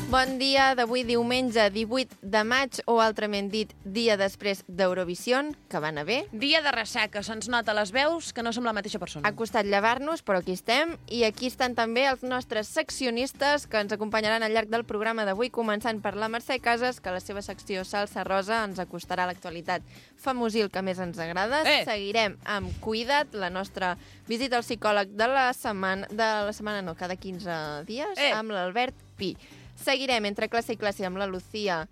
Bon dia d'avui diumenge 18 de maig, o altrament dit, dia després d'Eurovision, que va anar bé. Dia de ressaca, se'ns nota les veus que no som la mateixa persona. Ha costat llevar-nos, però aquí estem. I aquí estan també els nostres seccionistes que ens acompanyaran al llarg del programa d'avui, començant per la Mercè Casas, que la seva secció Salsa Rosa ens acostarà a l'actualitat famosil que més ens agrada. Seguirem amb Cuida't, la nostra visita al psicòleg de la setmana, cada 15 dies, amb l'Albert Pi. Seguirem entre classe i classe amb la Lucía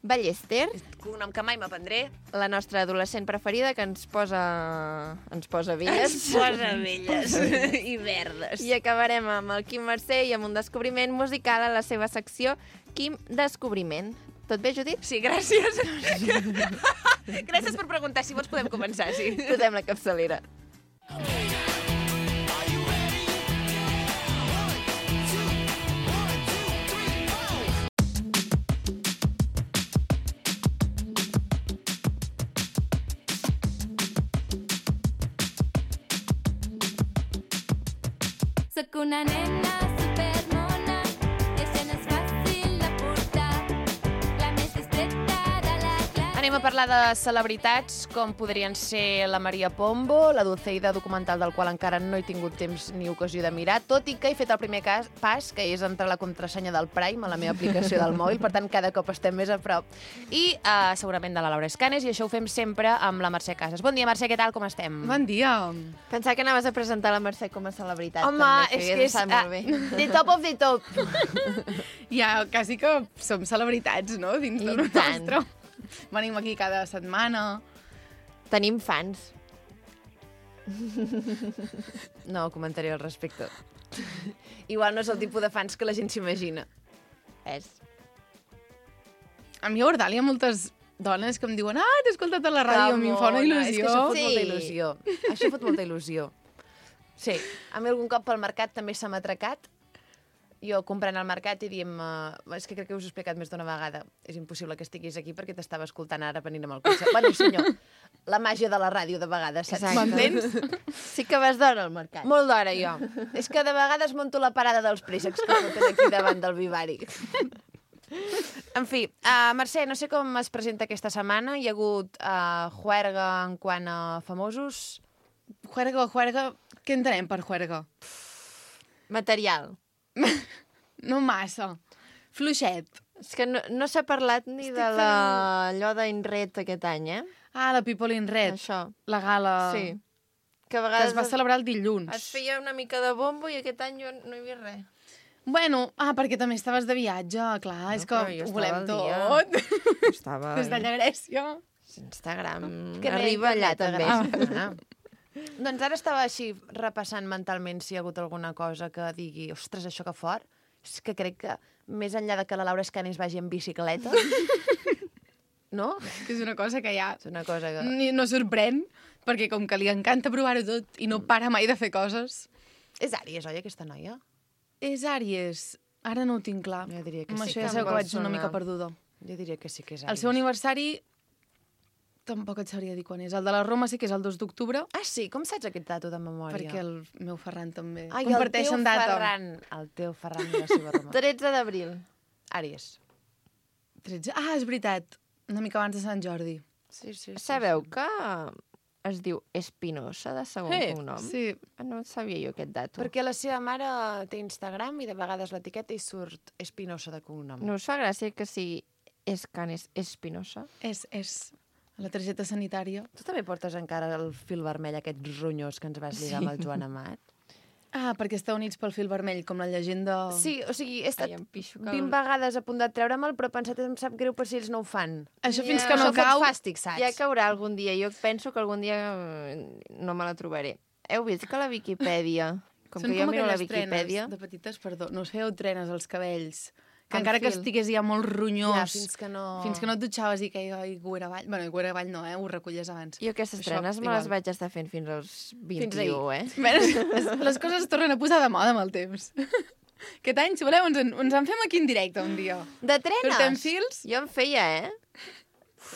Ballester, Un nom que mai m'aprendré. la nostra adolescent preferida, que ens posa velles. Ens posa velles i verdes. I acabarem amb el Quim Mercè i amb un descobriment musical a la seva secció Quim Descobriment. Tot bé, Judit? Sí, gràcies. Gràcies per preguntar. Si vols podem començar, sí. Posem la capçalera. Soc una nena supermona, això no és fàcil de portar, la més distreta de la classe. Anem a parlar de celebritats com podrien ser la Maria Pombo, la Dulceida documental del qual encara no he tingut temps ni ocasió de mirar, tot i que he fet el primer pas, que és entrar la contrasenya del Prime a la meva aplicació del mòbil, per tant cada cop estem més a prop. I segurament de la Laura Escanes, i això ho fem sempre amb la Mercè Casas. Bon dia, Mercè, què tal, com estem? Bon dia. Pensava que anaves a presentar la Mercè com a celebritat. Home, també, és que és molt bé. the top of the top. Ja, quasi que som celebritats, no?, dins I del tant. nostre. Venim aquí cada setmana. Tenim fans. No comentaré al respecte. Igual no és el tipus de fans que la gent s'imagina. És. A mi a Ordal hi ha moltes dones que em diuen t'he escoltat a la ràdio, a mi em fa una il·lusió. És que això fot Sí. molta il·lusió. Això fot molta il·lusió. Sí, a mi algun cop pel mercat també se m'ha atracat. Jo comprant al mercat i diem... és que crec que us ho he explicat més d'una vegada. És impossible que estiguis aquí perquè t'estava escoltant ara venint amb el cotxe. Bueno, senyor, la màgia de la ràdio de vegades, saps? Exacte. M'entens? Sí que vas d'hora al mercat. Molt d'hora, jo. És que de vegades monto la parada dels préssecs que foten aquí davant del Vivari. En fi, Mercè, no sé com es presenta aquesta setmana. Hi ha hagut juerga en quant a famosos. Juerga, què entenem per juerga? Material. No massa. Fluixet. És que no s'ha parlat ni de allò d'Inret aquest any, eh? La People in Red. Això. La gala Sí. Que a que vegades es va celebrar el dilluns. es feia una mica de bombo i aquest any jo no hi havia res. Bueno, perquè també estaves de viatge, clar, és que però jo ho estava volem al tot. Estava... Des d'allà Grècia. Instagram Que bé, arriba allà internet també. Doncs ara estava així repassant mentalment si hi ha hagut alguna cosa que digui ostres, això que fort. És que crec que més enllà de que la Laura Escanes vagi en bicicleta, no? Que és una cosa que ja És una cosa que... no sorprèn, perquè com que li encanta provar-ho tot i no para mai de fer coses. És Àries, oi, aquesta noia? És Àries. Ara no ho tinc clar. Jo diria que Amb sí això que ja em sabeu que vol vaig una sonar. mica perduda. Jo diria que sí que és Àries. El seu aniversari tampoc et sabria dir quan és. El de la Roma sí que és el 2 d'octubre, Ah, sí? Com saps aquest dato de memòria? perquè el meu Ferran també Ai, comparteixen data. El teu Ferran i la seva Roma. 13 d'abril. Àries. 13. És veritat. Una mica abans de Sant Jordi. Sí. Sabeu que es diu Espinosa de segon cognom? Sí. No sabia jo aquest dato. Perquè la seva mare té Instagram i de vegades l'etiqueta i surt Espinosa de cognom. No us fa gràcia que sigui Escanes Espinosa? És la targeta sanitària. Tu també portes encara el fil vermell, aquest ronyós que ens vas lligar amb el Joan Amat? Perquè està units pel fil vermell, com la llegenda... Sí, o sigui, he estat Ai, em pixo que 20 vegades a punt de treure'm-el, però he pensat que em sap greu per si ells no ho fan. Això Ja. fins que no Això fot cau... fàstic, saps? Ja caurà algun dia. Jo penso que algun dia no me la trobaré. Heu vist que la Viquipèdia... Com Són que jo miro la aquelles Viquipèdia... trenes de petites, perdó, no us fèieu trenes als cabells, que Amb encara que fil. estigués ja molt ronyós, Ja, fins que no et dutxaves i queia cuera avall. Bueno, cuera avall no, ho recollies abans. Jo aquestes Això, trenes me igual. les vaig estar fent fins als 21, ahir. Les coses es tornen a posar de moda amb el temps. Aquest any, si voleu, ens en fem aquí en directe un dia. De trenes? Portem fils? Jo en feia,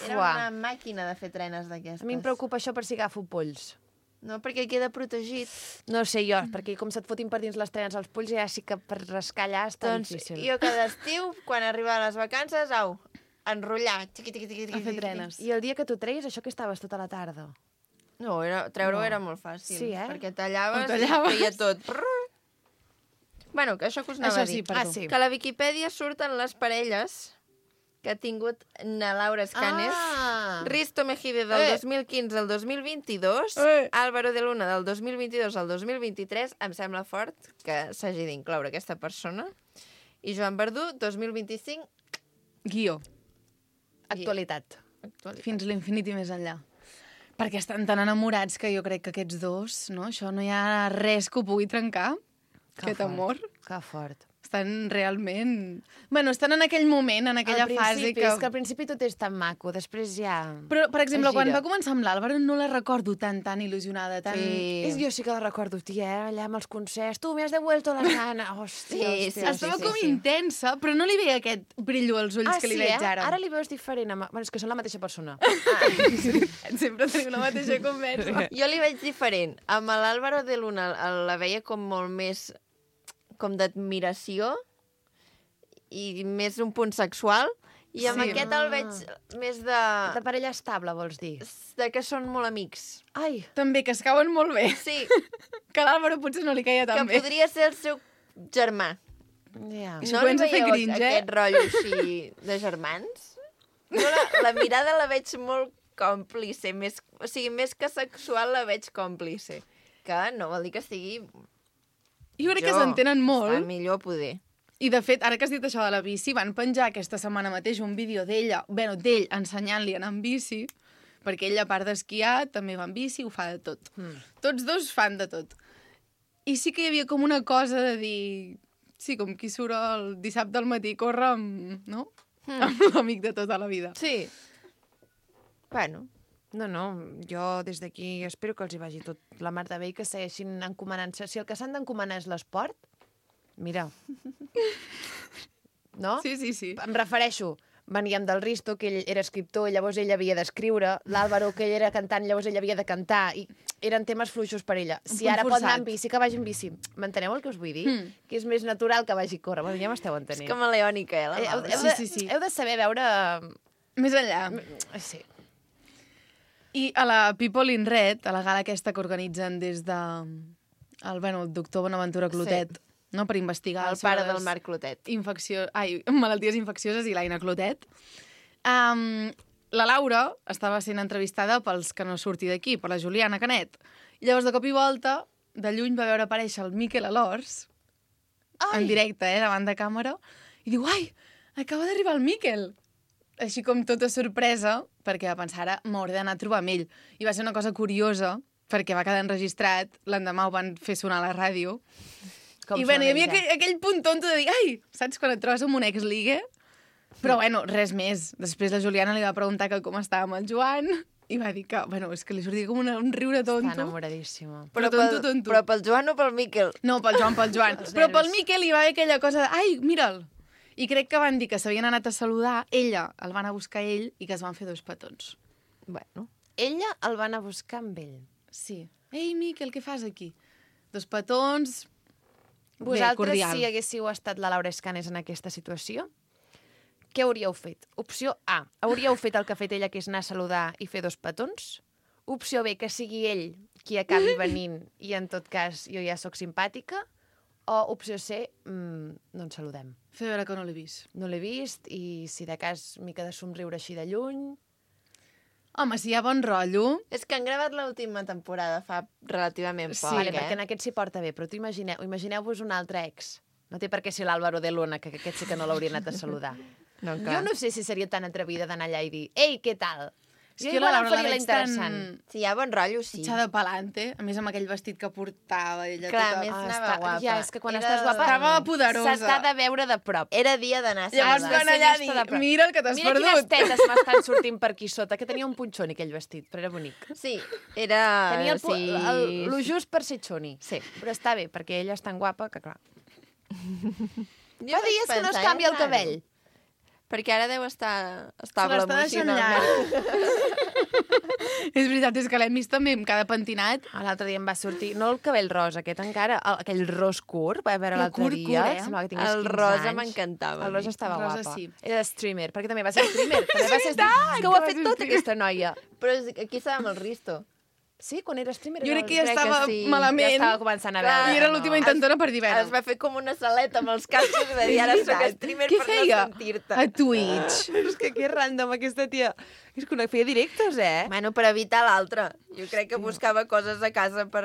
Era Fuà. una màquina de fer trenes d'aquestes. A mi em preocupa això per si agafo polls. No, perquè queda protegit. No sé jo, perquè com se't fotin per dins les trenes als polls, ja sí que per rascar allà està Doncs difícil. jo cada estiu, quan arriba les vacances, enrotllar. A fer trenes. I el dia que tu treies, això que estaves tota la tarda? No, treure-ho era molt fàcil. Sí, Perquè tallaves, Ho tallaves. i feia tot. Bueno, que això que us anava Això a dir. sí, perdó. sí. Que a la Viquipèdia surten les parelles que ha tingut na Laura Escanes. Risto Mejide del 2015 al 2022, Álvaro de Luna del 2022 al 2023, em sembla fort que s'hagi d'incloure aquesta persona, i Joan Verdú, 2025, Guió. Actualitat. Fins l'infinit i més enllà. Perquè estan tan enamorats que jo crec que aquests dos, no? Això no hi ha res que ho pugui trencar. Aquest amor. Que fort. Estan realment... Bueno, estan en aquell moment, en aquella fase que... És que al principi tot és tan maco, després ja... Però, per exemple, quan gira. va començar amb l'Àlvaro no la recordo tan il·lusionada, tan... Jo sí que la recordo, tia, allà amb els concerts. Tu, me has devuelto la gana. Hòstia, hòstia. Estava com intensa, però no li veia aquest brillo als ulls que li veig ara. Ara li veus diferent. Bueno, és que són la mateixa persona. Sempre tenim la mateixa conversa. jo li veig diferent. Amb l'Álvaro de Luna la veia com molt més com d'admiració i més un punt sexual, i amb aquest el veig més De parella estable, vols dir? de que són molt amics. Ai, També, que es cauen molt bé. Sí, Que a l'Àlvaro potser no li caia que tan bé. podria ser el seu germà. ja. Això No li comença a fer veieu cringe, aquest rotllo així de germans? Jo la mirada la veig molt còmplice, o sigui, més que sexual la veig còmplice. Que no vol dir que estigui... Jo crec que s'entenen Està molt. millor poder. I, de fet, ara que has dit això de la bici, van penjar aquesta setmana mateix un vídeo d'ell ensenyant-li a anar amb bici, perquè ell, a part d'esquiar, també va amb bici, ho fa de tot. Tots dos fan de tot. I sí que hi havia com una cosa de dir... Sí, com qui surt el dissabte al matí, corre amb, no? Amb l'amic de tota la vida. Sí. Bueno, No, jo des d'aquí espero que els hi vagi tot la mar de bé i que segueixin encomanant-se. Si el que s'han d'encomanar és l'esport, mira. No? Sí. Em refereixo, veníem del Risto, que ell era escriptor, llavors ell havia d'escriure, l'Àlvaro, que ell era cantant, llavors ell havia de cantar, i eren temes fluixos per ella. Si punt ara pot anar forçat. amb bici, que vagi amb bici. M'enteneu el que us vull dir? Que és més natural que vagi a córrer. Bueno, ja m'esteu entenent. és camaleònica, la Heu, Laura. Sí. heu de saber veure... Més enllà. Sí. I a la People in Red, a la gala aquesta que organitzen des de el doctor Bonaventura Clotet, no, per investigar El pare del Marc Clotet. malalties infeccioses i l'Aina Clotet. La Laura estava sent entrevistada pels que no surti d'aquí, per la Juliana Canet. I llavors, de cop i volta, de lluny va veure aparèixer el Miquel Alors, en directe, davant de càmera, i diu, ai, acaba d'arribar el Miquel. Així com tota sorpresa, perquè va pensar, ara m'hauré d'anar a trobar amb ell. I va ser una cosa curiosa, perquè va quedar enregistrat, l'endemà ho van fer sonar a la ràdio. I bueno, hi havia aquell punt tonto de dir, ai, saps quan et trobes amb un ex-ligue? Però bueno, res més. Després la Juliana li va preguntar que com estava amb el Joan, i va dir que, bueno, és que li sortia com un riure tonto. Està enamoradíssima. Però tonto. Però pel Joan o pel Miquel? No, pel Joan. Però pel Miquel hi va haver aquella cosa de, ai, mira'l. I crec que van dir que s'havien anat a saludar, ella el van a buscar ell i que es van fer 2 petons. Bueno. Ella el va anar a buscar amb ell. Sí. Ei, Miquel, què fas aquí? 2 petons... Vosaltres, cordial. si haguéssiu estat la Laura Escanes en aquesta situació, què hauríeu fet? Opció A, hauríeu fet el que ha fet ella, que és anar a saludar i fer 2 petons? Opció B, que sigui ell qui acabi venint i, en tot cas, jo ja sóc simpàtica? O opció C, no ens saludem. Fer veure que no l'he vist. No l'he vist i, si de cas, mica de somriure així de lluny... Home, si hi ha bon rotllo... És que han gravat l'última temporada fa relativament poc, Vale, perquè en aquest s'hi porta bé, però tu imagineu-vos un altre ex. No té per què ser l'Álvaro de Luna, que aquest sí que no l'hauria anat a saludar. No, Jo no sé si seria tan atrevida d'anar allà i dir «Ei, què tal?» És Jo que la igual Laura em faria la la veig interessant. Si hi ha bon rotllo, sí. Echada pa'lante, a més amb aquell vestit que portava ella Clar, tota... més anava està- guapa. ja, és que quan Era- estàs guapa... Estava poderosa. S'està de veure de prop. Era dia d'anar a Llavors saludar. van allà a dir, vista de prop. mira el que t'has Mira quines perdut. tetes m'estan sortint per aquí sota, que tenia un punxoni aquell vestit, però era bonic. Sí, era... Tenia sí. lo just per ser xoni. Sí. Però està bé, perquè ella és tan guapa que, clar... Jo Fa vaig dies que no es pensar, canvia el raro. cabell. Perquè ara deu estar Se estable l'està deixant emocionalment. llarg. És veritat, és que l'hem vist també amb cada pentinat. L'altre dia em va sortir, no el cabell rosa, aquest encara, aquell ros curt, va veure Però l'altre curt, dia. curt, eh? Semblava que tingués El 15 rosa anys. m'encantava. El rosa estava Rosa guapa. sí. Era de streamer, perquè també va ser streamer. També va ser streamer. Que ho ha fet tot, aquesta noia. Però aquí estava amb el Risto. Sí, quan era streamer... Jo era crec que ja crec que estava sí. malament. Ja estava començant a Clar. veure. I era no. l'última intentona per dir, Es va fer com una saleta amb els cascos i va dir, ara soc streamer Què per feia? no sentir-te. A Twitch. És que random, aquesta tia. És que no feia directes, eh? Bueno, per evitar l'altre. Jo crec que buscava coses a casa per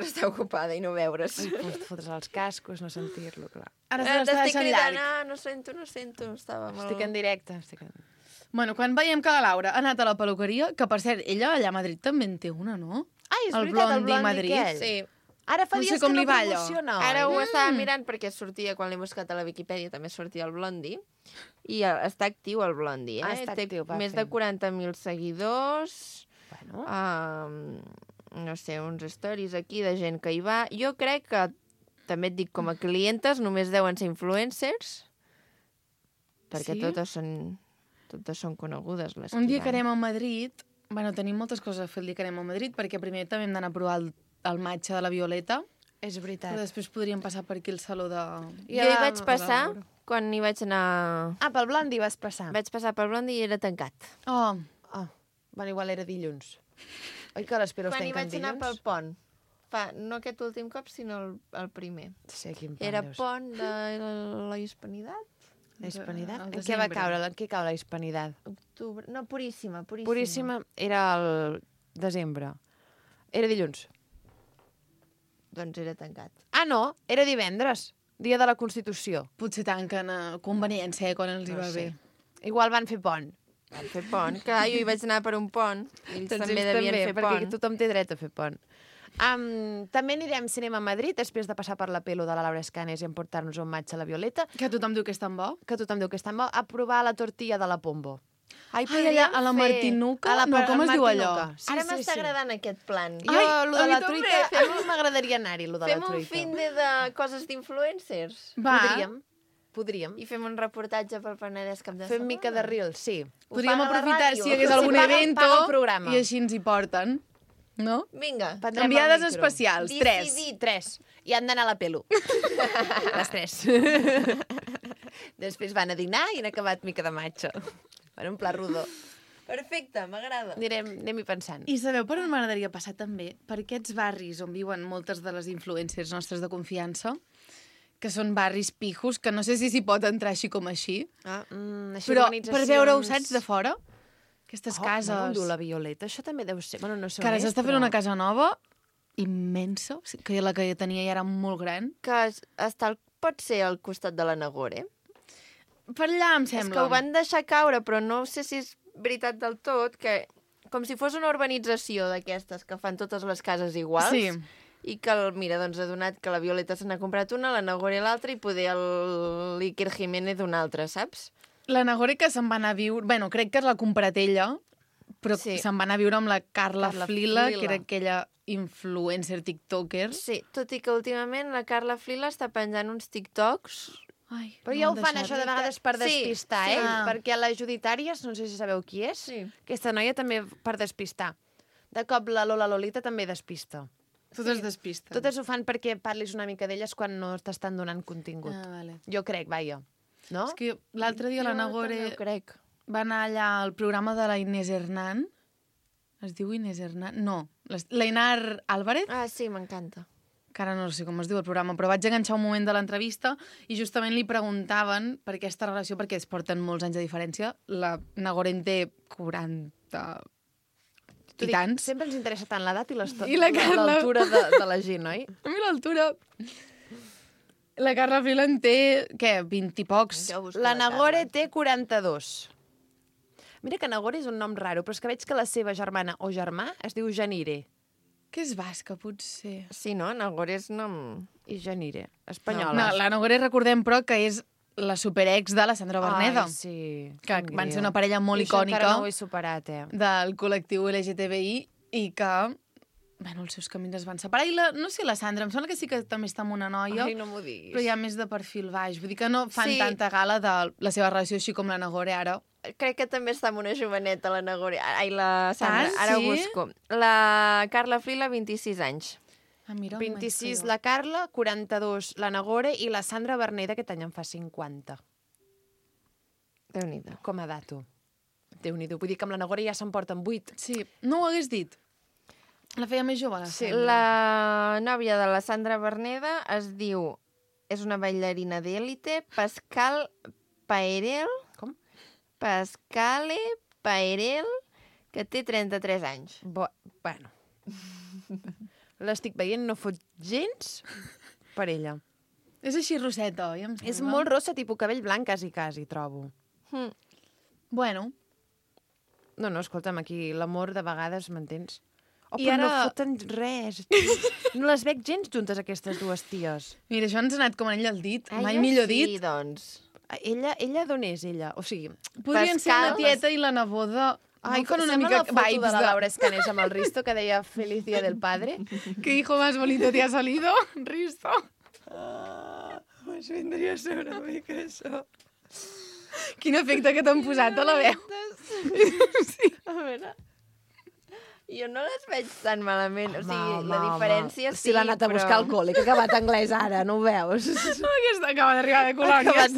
estar ocupada i no veure's. Fotre's els cascos, no sentir-lo, clar. Ara se l'està T'estic deixant cridant, llarg. no sento. Estava molt... Estic en directe. Bueno, quan veiem que la Laura ha anat a la peluqueria, que per cert, ella allà a Madrid també en té una, no? Ai, és El veritat, el Blondi Blondi Madrid. aquell. Sí. Ara fa No sé dies com que li no va allò. promociona. Ara ho oi? estava mirant perquè sortia, quan l'he buscat a la Viquipèdia, també sortia el Blondi. I està actiu el Blondi, eh? Ah, està Té actiu, va més fent. de 40.000 seguidors. Bueno, No sé, uns stories aquí de gent que hi va. Jo crec que, també et dic, com a clientes, només deuen ser influencers, perquè Sí? totes són conegudes, les Un dia van. que anem a Madrid, bueno, tenim moltes coses a fer el dia que anem a Madrid, perquè primer també hem d'anar a provar el matxa de la Violeta, és veritat. però després podríem passar per aquí al saló de... Jo hi vaig passar quan hi vaig anar... Ah, pel Blondi vas passar. Vaig passar pel Blondi i era tancat. Oh, Ah, bueno, igual era dilluns. Oi que les pelos Quan hi tanquen vaig anar pel dilluns? pont. No aquest últim cop, sinó el primer. Sí, quin pont Era deu ser. pont de la Hispanitat. La Hispanitat? al En què va desembre. caure? En què cau la Hispanitat? Octubre... No, Puríssima. Puríssima era el desembre. Era dilluns. Doncs era tancat. Ah, no, era divendres, dia de la Constitució. potser tanquen a conveniència, quan els hi va bé. Igual van fer pont. Van fer pont. Clar, jo hi vaig anar per un pont. I ells també ells devien fer perquè pont. tothom té dret a fer pont. També anirem cinema a Madrid, després de passar per la pelo de la Laura Escanes i emportar-nos un matx a la Violeta, Que tothom diu que és tan bo. que tothom diu que és tan bo, a provar la tortilla de la Pombo. Ai, allà a la Martinuca? No, com es diu allò? Sí, Ara sí, m'està sí. agradant aquest plan. Jo, Ai, lo a de mi la també. truita, a mi m'agradaria anar-hi, lo de la Fem un truita. fin de coses d'influencers. Va. Podríem. I fem un reportatge pel Penedès cap de Fem setmana. mica de reel, sí. Ho Podríem paga la aprofitar ràdio. si hi hagués Si algun paga- evento paga el programa. i així ens hi porten. No? Vinga. Prendrem el Enviades micro. especials, 3. Decidit. 3. I han d'anar a la pelo. Les 3. Després van a dinar i han acabat mica de matxa. Van un pla rodó. Perfecte, m'agrada. Anem-hi pensant. I sabeu per on m'agradaria passar també? Per aquests barris on viuen moltes de les influencers nostres de confiança, que són barris pijos, que no sé si s'hi pot entrar així com així, Ah, Així però organitzacions- per veure-ho, saps, de fora? Aquestes cases... Bueno, on diu la Violeta? Això també deu ser... Bueno, no sé Que ara on és, s'està fent però- una casa nova immensa, que la que tenia ja era molt gran. que pot ser al costat de la Nagore. Per allà, em És sembla. que ho van deixar caure, però no sé si és veritat del tot, que com si fos una urbanització d'aquestes que fan totes les cases iguals. Sí. I que, mira, doncs ha donat que la Violeta se n'ha comprat una, la Nagore l'altra i poder l'Iker Jiménez una altra, saps? La Nagore que se'n va anar a viure... Bueno, crec que l'ha comprat ella, però Sí. se'n va anar a viure amb la Carla Carla Flila, Flila. que era aquella influencer tiktoker. Sí, tot i que últimament la Carla Flila està penjant uns TikToks. Ai, Però no ja ho m'han fan, deixat. això, de vegades per Sí, despistar, sí. eh? Ah. Perquè la Judit Àries, no sé si sabeu qui és, Sí. aquesta noia també per despistar. De cop la Lola Lolita també despista. Totes despisten. Totes ho fan perquè parlis una mica d'elles quan no t'estan donant contingut. Ah, vale. Jo crec, vaja. No? És que l'altre dia la Jo Nagore també ho crec. va anar allà al programa de la Inés Hernán. Es diu Inés Hernán? No, la Inar Álvarez, Ah, sí, m'encanta. que ara no sé com es diu el programa, però vaig enganxar un moment de l'entrevista i justament li preguntaven per aquesta relació, perquè es porten molts anys de diferència. La Nagore en té 40 T'ho i dic, tants. sempre ens interessa tant l'edat i I la Carla. l'altura de la gent, oi? A mi l'altura... La Carla Flila en té, què, 20 i pocs. Jo busco La Nagore Carla. té 42. Mira que Nagore és un nom raro, però és que veig que la seva germana o germà es diu Janire. Que és basca, potser. Sí, no? Nagore és nom... I Janire, espanyola. No, la Nagore recordem, però, que és la superex de la Sandra Berneda. Ai, sí. Que Quin van ser greu. una parella molt I això icònica encara no ho he superat, eh? del col·lectiu LGTBI i que, bueno, els seus camins es van separar. I no sé, la Sandra, em sembla que sí que també està amb una noia, Ai, no m'ho diguis. però ja més de perfil baix. Vull dir que no fan Sí. tanta gala de la seva relació així com la Nagore ara. crec que també està amb una joveneta, la Nagore. Ai, la Sandra, Ah, ara ho sí? busco. La Carla Flila, 26 anys. Ah, mira, 26 la Carla, 42 la Nagore i la Sandra Berneda aquest any en fa 50. Déu-n'hi-do. Com a dato. Déu-n'hi-do. Vull dir que amb la Nagore ja se'n porten 8. Sí, no ho hagués dit. La feia més jove, la Sí, Sandra. La nòvia de la Sandra Berneda es diu... És una ballarina d'èlite, Pascal Paerel. Com? Pascale Paerel, que té 33 anys. Bueno. L'estic veient, no fot gens per ella. És així roseta, oi? Em És sembla? molt rossa, tipus cabell blanc, quasi, trobo. Hm. Bueno, No, escolta'm, aquí l'amor de vegades, m'entens? Oh, I però no ara- foten res. No les veig gens juntes, aquestes dues ties. mira, això ens ha anat com anell al dit. Mai Ella millor sí, dit. doncs. Ella d'on és, ella? O sigui... Podrien ser Pascal, la tieta i la neboda. Ai, No fan una sembla mica la foto vibes de la Laura Escanés amb el Risto, que deia Feliz Día del Padre. ¿Qué hijo más bonito te ha salido, Risto? Pues vendria a ser una mica això. Quin efecte que t'han posat a la veu. Sí. A veure... Jo no les veig tan malament. O sigui, la diferència sí, Si l'ha anat a buscar al col·le, que ha acabat anglès ara, no ho veus? Aquesta acaba d'arribar de colònies.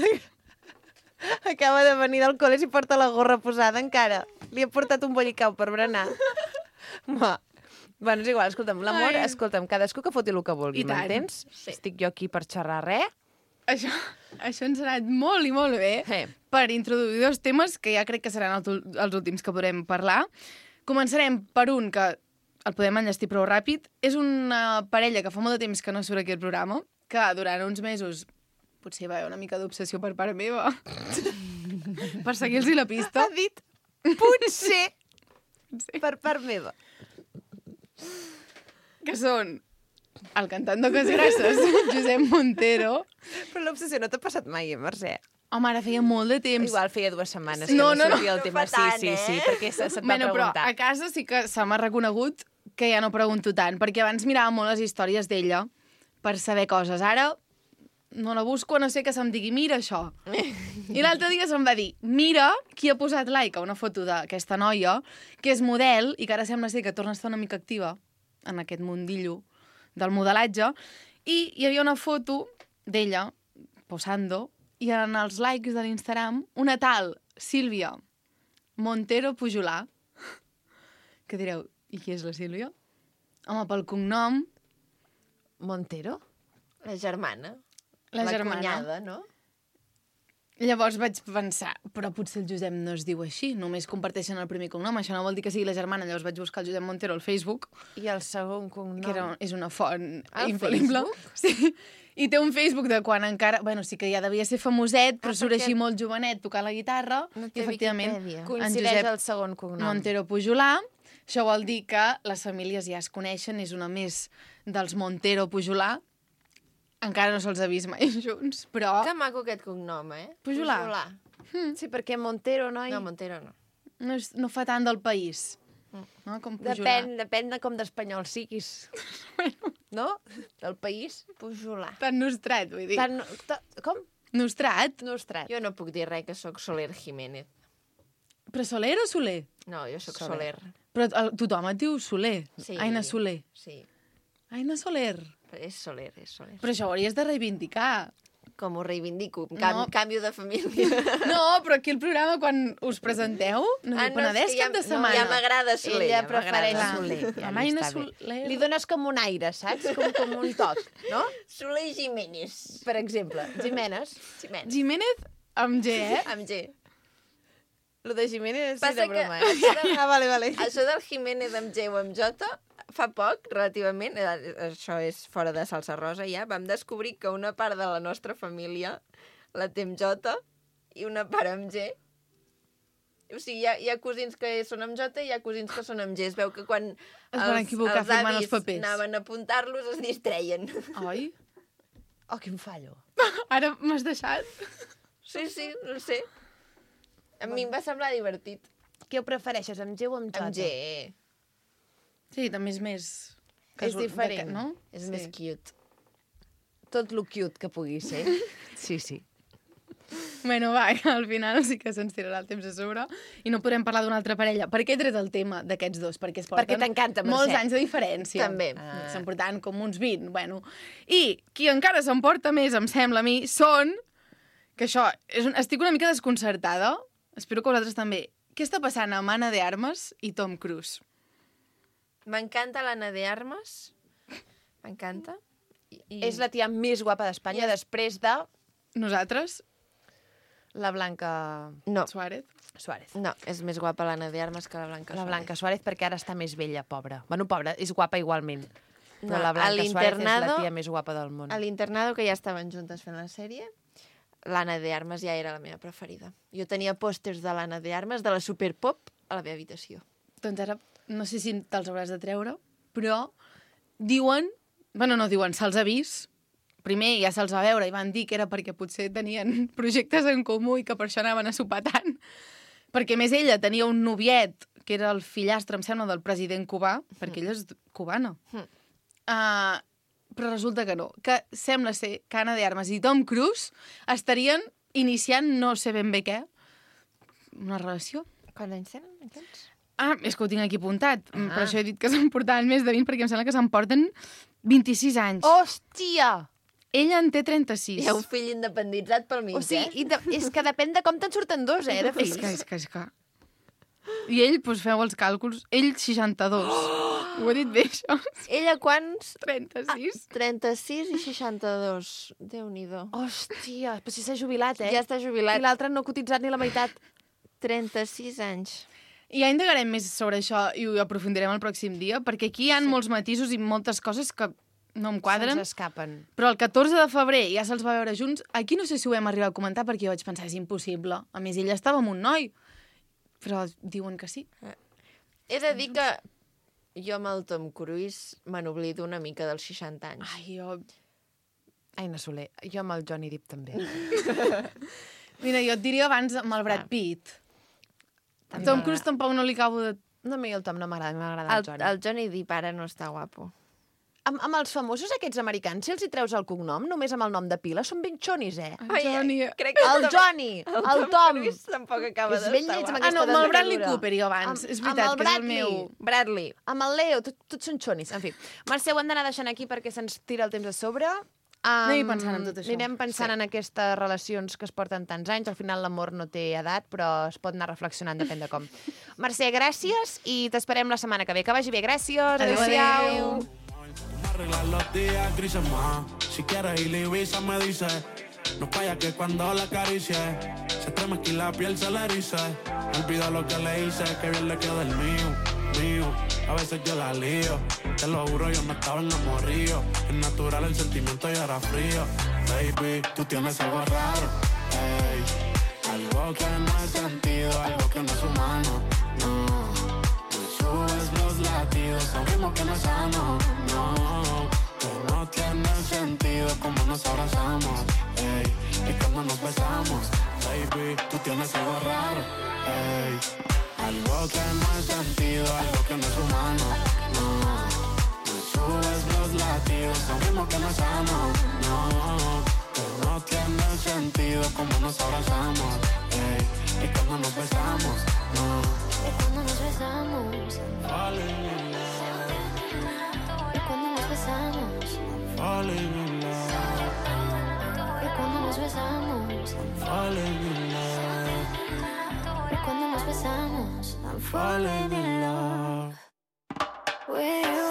Acaba de venir del col·le i porta la gorra posada encara. Li ha portat un bollicau per berenar. Va. Bueno, és igual, escolta'm, l'amor, Ai. escolta'm, cadascú que foti el que vulgui, I tant. m'entens? Sí. Estic jo aquí per xerrar res. Això ens ha anat molt i molt bé per introduir dos temes que ja crec que seran els últims que podrem parlar. Començarem per un que el podem enllestir prou ràpid. És una parella que fa molt de temps que no surt aquí al programa, que durant uns mesos potser va haver una mica d'obsessió per part meva per seguir-los la pista. Ha dit potser per part meva. Que són el cantant d'Oques Grasses, Josep Montero. Però l'obsessió no t'ha passat mai, Mercè? Home, ara feia molt de temps. Igual feia 2 setmanes Sí. que No, no no, sortia el no tema. fa tant, Sí, perquè se't va Bueno, però preguntar. a casa sí que se m'ha reconegut que ja no pregunto tant, perquè abans mirava molt les històries d'ella per saber coses. Ara no la busco, a no sé que se'm digui, mira això. I l'altre dia se'm va dir, mira qui ha posat like a una foto d'aquesta noia, que és model i que ara sembla ser que torna a estar una mica activa en aquest mundillo del modelatge, i hi havia una foto d'ella posando, i en els likes de l'Instagram una tal Sílvia Montero Pujolà. Que direu, i qui és la Sílvia? Home, pel cognom, Montero? La germana. la germana. cunyada, no? Llavors vaig pensar, però potser el Josep no es diu així, només comparteixen el primer cognom, això no vol dir que sigui la germana. Llavors vaig buscar el Josep Montero al Facebook, I el segon cognom? que és una font Al infal·lible. Sí. I té un Facebook de quan encara... Bueno, sí que ja devia ser famoset, però surt perquè així molt jovenet tocant la guitarra. No I té efectivament, Viquipèdia. Coincideix Josep el segon cognom. Montero Pujolà. Això vol dir que les famílies ja es coneixen, és una més dels Montero Pujolà. Encara no se'ls ha vist mai junts, però... Que maco aquest cognom, eh? Pujolà. Sí, perquè Montero, noi... No, Montero no. No fa tant del país. No? Com Pujolà. Depèn de com d'espanyol siguis. No? Del país. Pujolà. Tan nostrat, vull dir. Com? Nostrat? Nostrat. Jo no puc dir res, que sóc Soler Jiménez. Però Soler o Soler? No, jo sóc Soler. Soler. Però tothom et diu Soler. Sí. Aina Soler. Sí, Aina Soler. és Soler, és Soler. Però això ho hauries de reivindicar. Com ho reivindico, No. canvio de família. No, però aquí al programa, quan us presenteu, no diu Penedès cap de setmana. Ja m'agrada Soler. Ella ja prefereix m'agrada. Soler. Ja Amb li Aina està bé. Soler. Li dones com un aire, saps? Com un toc, no? Soler Jiménez. Per exemple, Jiménez. Jiménez amb G, eh? Amb G. Lo de Jiménez sí Passa de broma, eh? Ah, vale. Això del Jiménez amb G o amb J, fa poc, relativament, això és fora de salsa rosa ja, vam descobrir que una part de la nostra família la té amb J i una part amb G. O sigui, hi ha cosins que són amb J i hi ha cosins que són amb G. Es veu que quan van equivocar firmant els avis papers. anaven a apuntar-los es distreien. Oi? Oh, quin fallo. Ara m'has deixat. Sí, no sé. A mi em va semblar divertit. Què ho prefereixes, amb G o amb J? Amb G. Sí, també és més... És diferent. No? És més cute. Tot lo cute que pugui ser. Sí. Bueno, va, al final sí que se'ns tirarà el temps a sobre i no podrem parlar d'una altra parella. Per què he tret el tema d'aquests dos? Perquè es porten Perquè t'encanta, Mercè. molts anys de diferència. També. Se'n portant com uns 20, bueno. I qui encara s'emporta més, em sembla a mi, són... Que això, estic una mica desconcertada. Espero que vosaltres també. Què està passant amb Anna de Armas i Tom Cruise? M'encanta l'Anna de Armas. M'encanta. És la tia més guapa d'Espanya després de Nosaltres, la Blanca No, Suárez. Suárez. no, és més guapa l'Anna de Armas que la Blanca La Suárez. Blanca Suárez perquè ara està més vella, pobra. Bueno, pobra, és guapa igualment. Però No, la a Blanca Suárez és la l'internado- tia més guapa del món. A l'internado, que ja estaven juntes fent la sèrie, l'Anna de Armas ja era la meva preferida. Jo tenia pòsters de l'Anna de Armas, de la Superpop, a la meva habitació. Doncs ara, no sé si te'ls hauràs de treure, però diuen... Bueno, no diuen, se'ls ha vist. Primer ja se'ls va veure i van dir que era perquè potser tenien projectes en comú i que per això anaven a sopar tant. Perquè, a més, ella tenia un noviet, que era el fillastre, em sembla, del president cubà, perquè ella és cubana. Però resulta que no. Que sembla ser que Anna de Armas i Tom Cruise estarien iniciant, no sé ben bé què, una relació. Quants anys tenen, aquests? Ah, és que ho tinc aquí apuntat. Per això he dit que se'n portaven més de 20, perquè em sembla que se'n porten 26 anys. Hòstia! Ella en té 36. Hi ha un fill independitzat pel mig, O sigui, és que depèn de com te'n surten dos, de fills. És que... I ell, doncs feu els càlculs, ell 62. Ho he dit bé, això? Ella quants? 36. 36 i 62. Déu-n'hi-do. Hòstia, però si s'ha jubilat, Ja està jubilat. I l'altre no ha cotitzat ni la meitat. 36 anys. I ja indagarem més sobre això i ho aprofundirem el pròxim dia, perquè aquí hi ha molts matisos i moltes coses que no em quadren. Se'ns escapen. Però el 14 de febrer ja se'ls va veure junts. Aquí no sé si ho hem arribat a comentar perquè jo vaig pensar, és impossible. A més, ella estava amb un noi. Però diuen que sí. He de dir que jo amb el Tom Cruise me n'oblido una mica dels 60 anys. Ai, jo... Aina Soler, jo amb el Johnny Depp també. Mira, jo et diria abans amb el Brad Pitt. A Tom Cruise tampoc no li acabo de... No, a mi el Tom no m'agrada, m'agrada el Johnny. El Johnny Depp ara no està guapo. Amb els famosos aquests americans, si els hi treus el cognom, només amb el nom de pila, són ben xonis, eh? Johnny... Crec que El Johnny, el Tom. Cruise tampoc acaba És d'estar ben lleig amb guapo. Ah, no, aquesta amb el Bradley desgradura. Cooper jo abans. És Amb veritat, el que és el Bradley. meu... Bradley. Amb el Leo, tots són xonis. En fi, Mercè, ho hem d'anar deixant aquí perquè se'ns tira el temps a sobre. Anem pensant en tot això. Anirem pensant en aquestes relacions que es porten tants anys. Al final l'amor no té edat, però es pot anar reflexionant, depèn de com. Mercè, gràcies i t'esperem la setmana que ve. Que vagi bé, gràcies. Adéu. Arreglar los días grises más. Si quieres ir a Ibiza me dice. No falla que cuando la acaricie se estremezca y la piel se le erice. Olvido lo que le hice, que bien le queda el mío. A veces yo la lío. Te lo juro, yo no estaba enamorado. Es natural el sentimiento y era frío. Baby, tú tienes algo raro. Ey, algo que no he sentido, algo que no es humano. No. Subes los latidos, a un ritmo que no es sano, no. Que no tiene sentido como nos abrazamos, ey. Y cuando nos besamos, baby, tú tienes algo raro, ey. Algo que no es sentido, algo que no es humano, no. Me subes los latidos, a un ritmo que no es sano, no. Que no tiene sentido como nos abrazamos, ey. Y cuando nos besamos, no. Y cuando nos besamos, Falling in love, y cuando nos besamos, falling in love, y cuando nos besamos, falling in love, y cuando nos besamos, I'm falling in love, with you,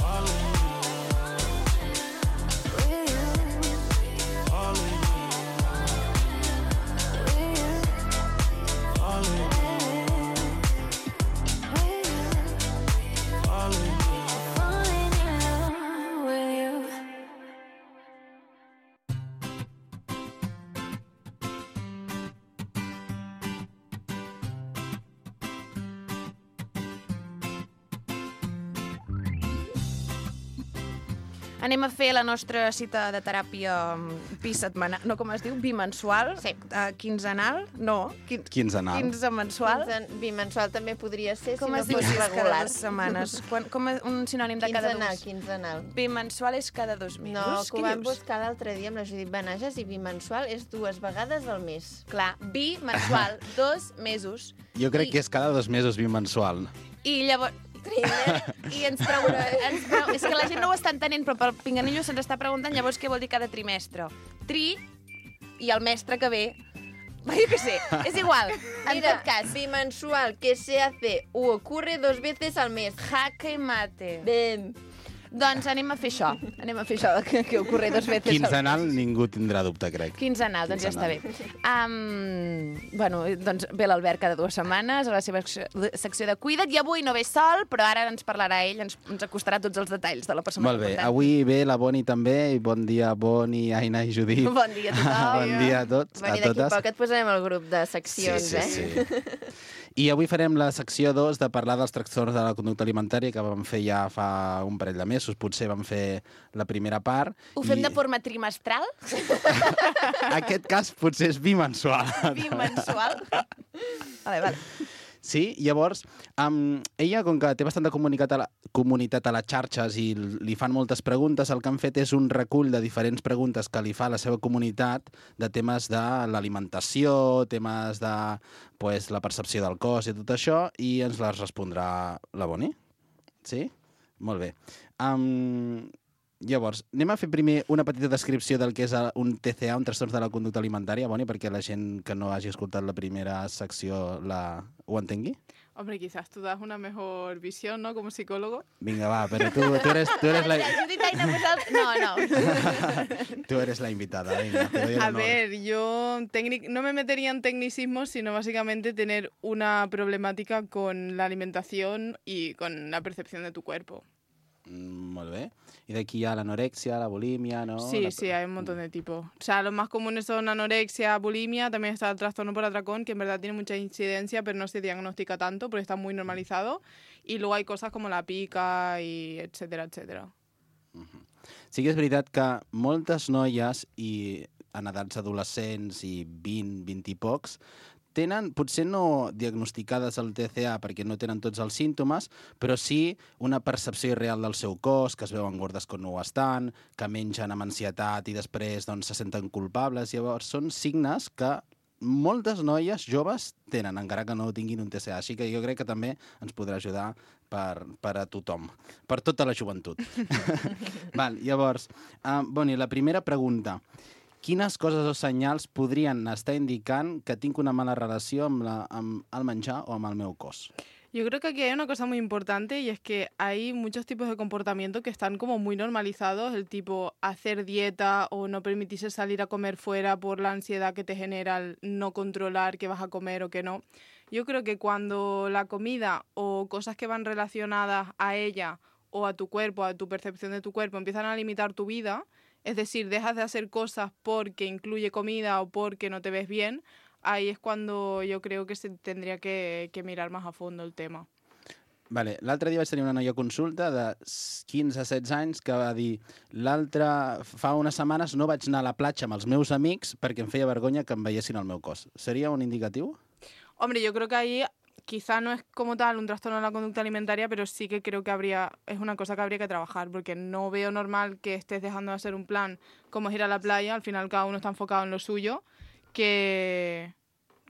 falling in love, with you, falling in love, with you, falling in love, falling in love. falling in love with you. Anem a fer la nostra cita de teràpia bisetmanal, no, com es diu? Bimensual? Sí. Quinzenal? No. Quinzenal. Quinzemensual? Bimensual també podria ser, Com si es no diu fos cada regular. 2 setmanes? Com és un sinònim de cada dos? Quinzenal. Bimensual és cada 2 mesos? No, que ho vam dius? buscar l'altre dia amb la Judit Benages i bimensual és 2 vegades al mes. Clar, bimensual, 2 mesos. Jo crec que és cada 2 mesos bimensual. I llavors... I ens pregunta... És que la gent no ho està entenent, però pel pinganillo se'ns està preguntant llavors què vol dir cada trimestre. Tri i el mestre que ve... Jo què sé, és igual. En Mira, tot cas, bimensual, que se hace o ocurre 2 veces al mes. jaque mate. Ben. Doncs anem a fer això. Anem a fer això, que ocorre 2 veces. Quinzenal ningú tindrà dubte, crec. Quinzenal, doncs ja està bé. Bueno, doncs ve l'Albert cada 2 setmanes a la seva secció de Cuida't, i avui no ve sol, però ara ens parlarà ell, ens acostarà tots els detalls de la persona Molt bé, important. avui ve la Boni també, i bon dia Boni, Aina i Judit. Bon dia a tothom. Bon dia a tots, Bueno, a i d'aquí totes. poc et posarem al grup de seccions, sí. I avui farem la secció 2 de parlar dels trastorns de la conducta alimentària que vam fer ja fa un parell de mesos. Potser vam fer la primera part. Ho fem de forma trimestral? Aquest cas potser és bimensual. Bimensual? Vale. Sí, llavors, ella, com que té bastanta comunitat a les xarxes i li fan moltes preguntes, el que han fet és un recull de diferents preguntes que li fa a la seva comunitat de temes de l'alimentació, temes de la percepció del cos i tot això, i ens les respondrà la Boni. Sí? Molt bé. Llavors, anem a fer primer una petita descripció del que és un TCA, un trastorn de la conducta alimentària, Boni, perquè la gent que no hagi escoltat la primera secció ho entengui. Hombre, quizás tú das una mejor visión, ¿no? Como psicólogo. Vinga, va, però tu eres la... Judit, Aina, no. Tú eres la invitada, venga, te doy el A honor. ver, yo no me metería en tecnicismos, sino básicamente tener una problemática con la alimentación y con la percepción de tu cuerpo. Molt bé. I d'aquí hi ha l'anorexia, la bulímia, ¿no? Sí, hay un montón de tipos. O sea, los más comunes son anorexia, bulimia, también está el trastorno por atracón, que en verdad tiene mucha incidencia, pero no se diagnostica tanto porque está muy normalizado. Y luego hay cosas como la pica y etcétera, etcétera. Sí que és veritat que moltes noies i en edats adolescents i 20, 20 i pocs tenen, potser no diagnosticades el TCA perquè no tenen tots els símptomes, però sí una percepció irreal del seu cos, que es veuen gordes quan no ho estan, que mengen amb ansietat i després se senten culpables. Llavors són signes que moltes noies joves tenen, encara que no tinguin un TCA. Així que jo crec que també ens podrà ajudar per a tothom, per tota la joventut. Llavors, Boni, la primera pregunta. Quines coses o senyals podrien estar indicant que tinc una mala relació amb el menjar o amb el meu cos? Yo creo que aquí hay una cosa muy importante y es que hay muchos tipos de comportamiento que están como muy normalizados, el tipo hacer dieta o no permitirse salir a comer fuera por la ansiedad que te genera el no controlar qué vas a comer o qué no. Yo creo que cuando la comida o cosas que van relacionadas a ella o a tu cuerpo, a tu percepción de tu cuerpo, empiezan a limitar tu vida, es decir, dejas de hacer cosas porque incluye comida o porque no te ves bien, ahí es cuando yo creo que se tendría que mirar más a fondo el tema. L'altre dia vaig tenir una noia a consulta de 15 a 16 anys que va dir fa unes setmanes no vaig anar a la platja amb els meus amics perquè em feia vergonya que em veiessin el meu cos. Seria un indicatiu? Hombre, yo creo que ahí quizá no es como tal un trastorno de la conducta alimentaria, pero sí que creo que es una cosa que habría que trabajar, porque no veo normal que estés dejando de hacer un plan como es ir a la playa, al final cada uno está enfocado en lo suyo, que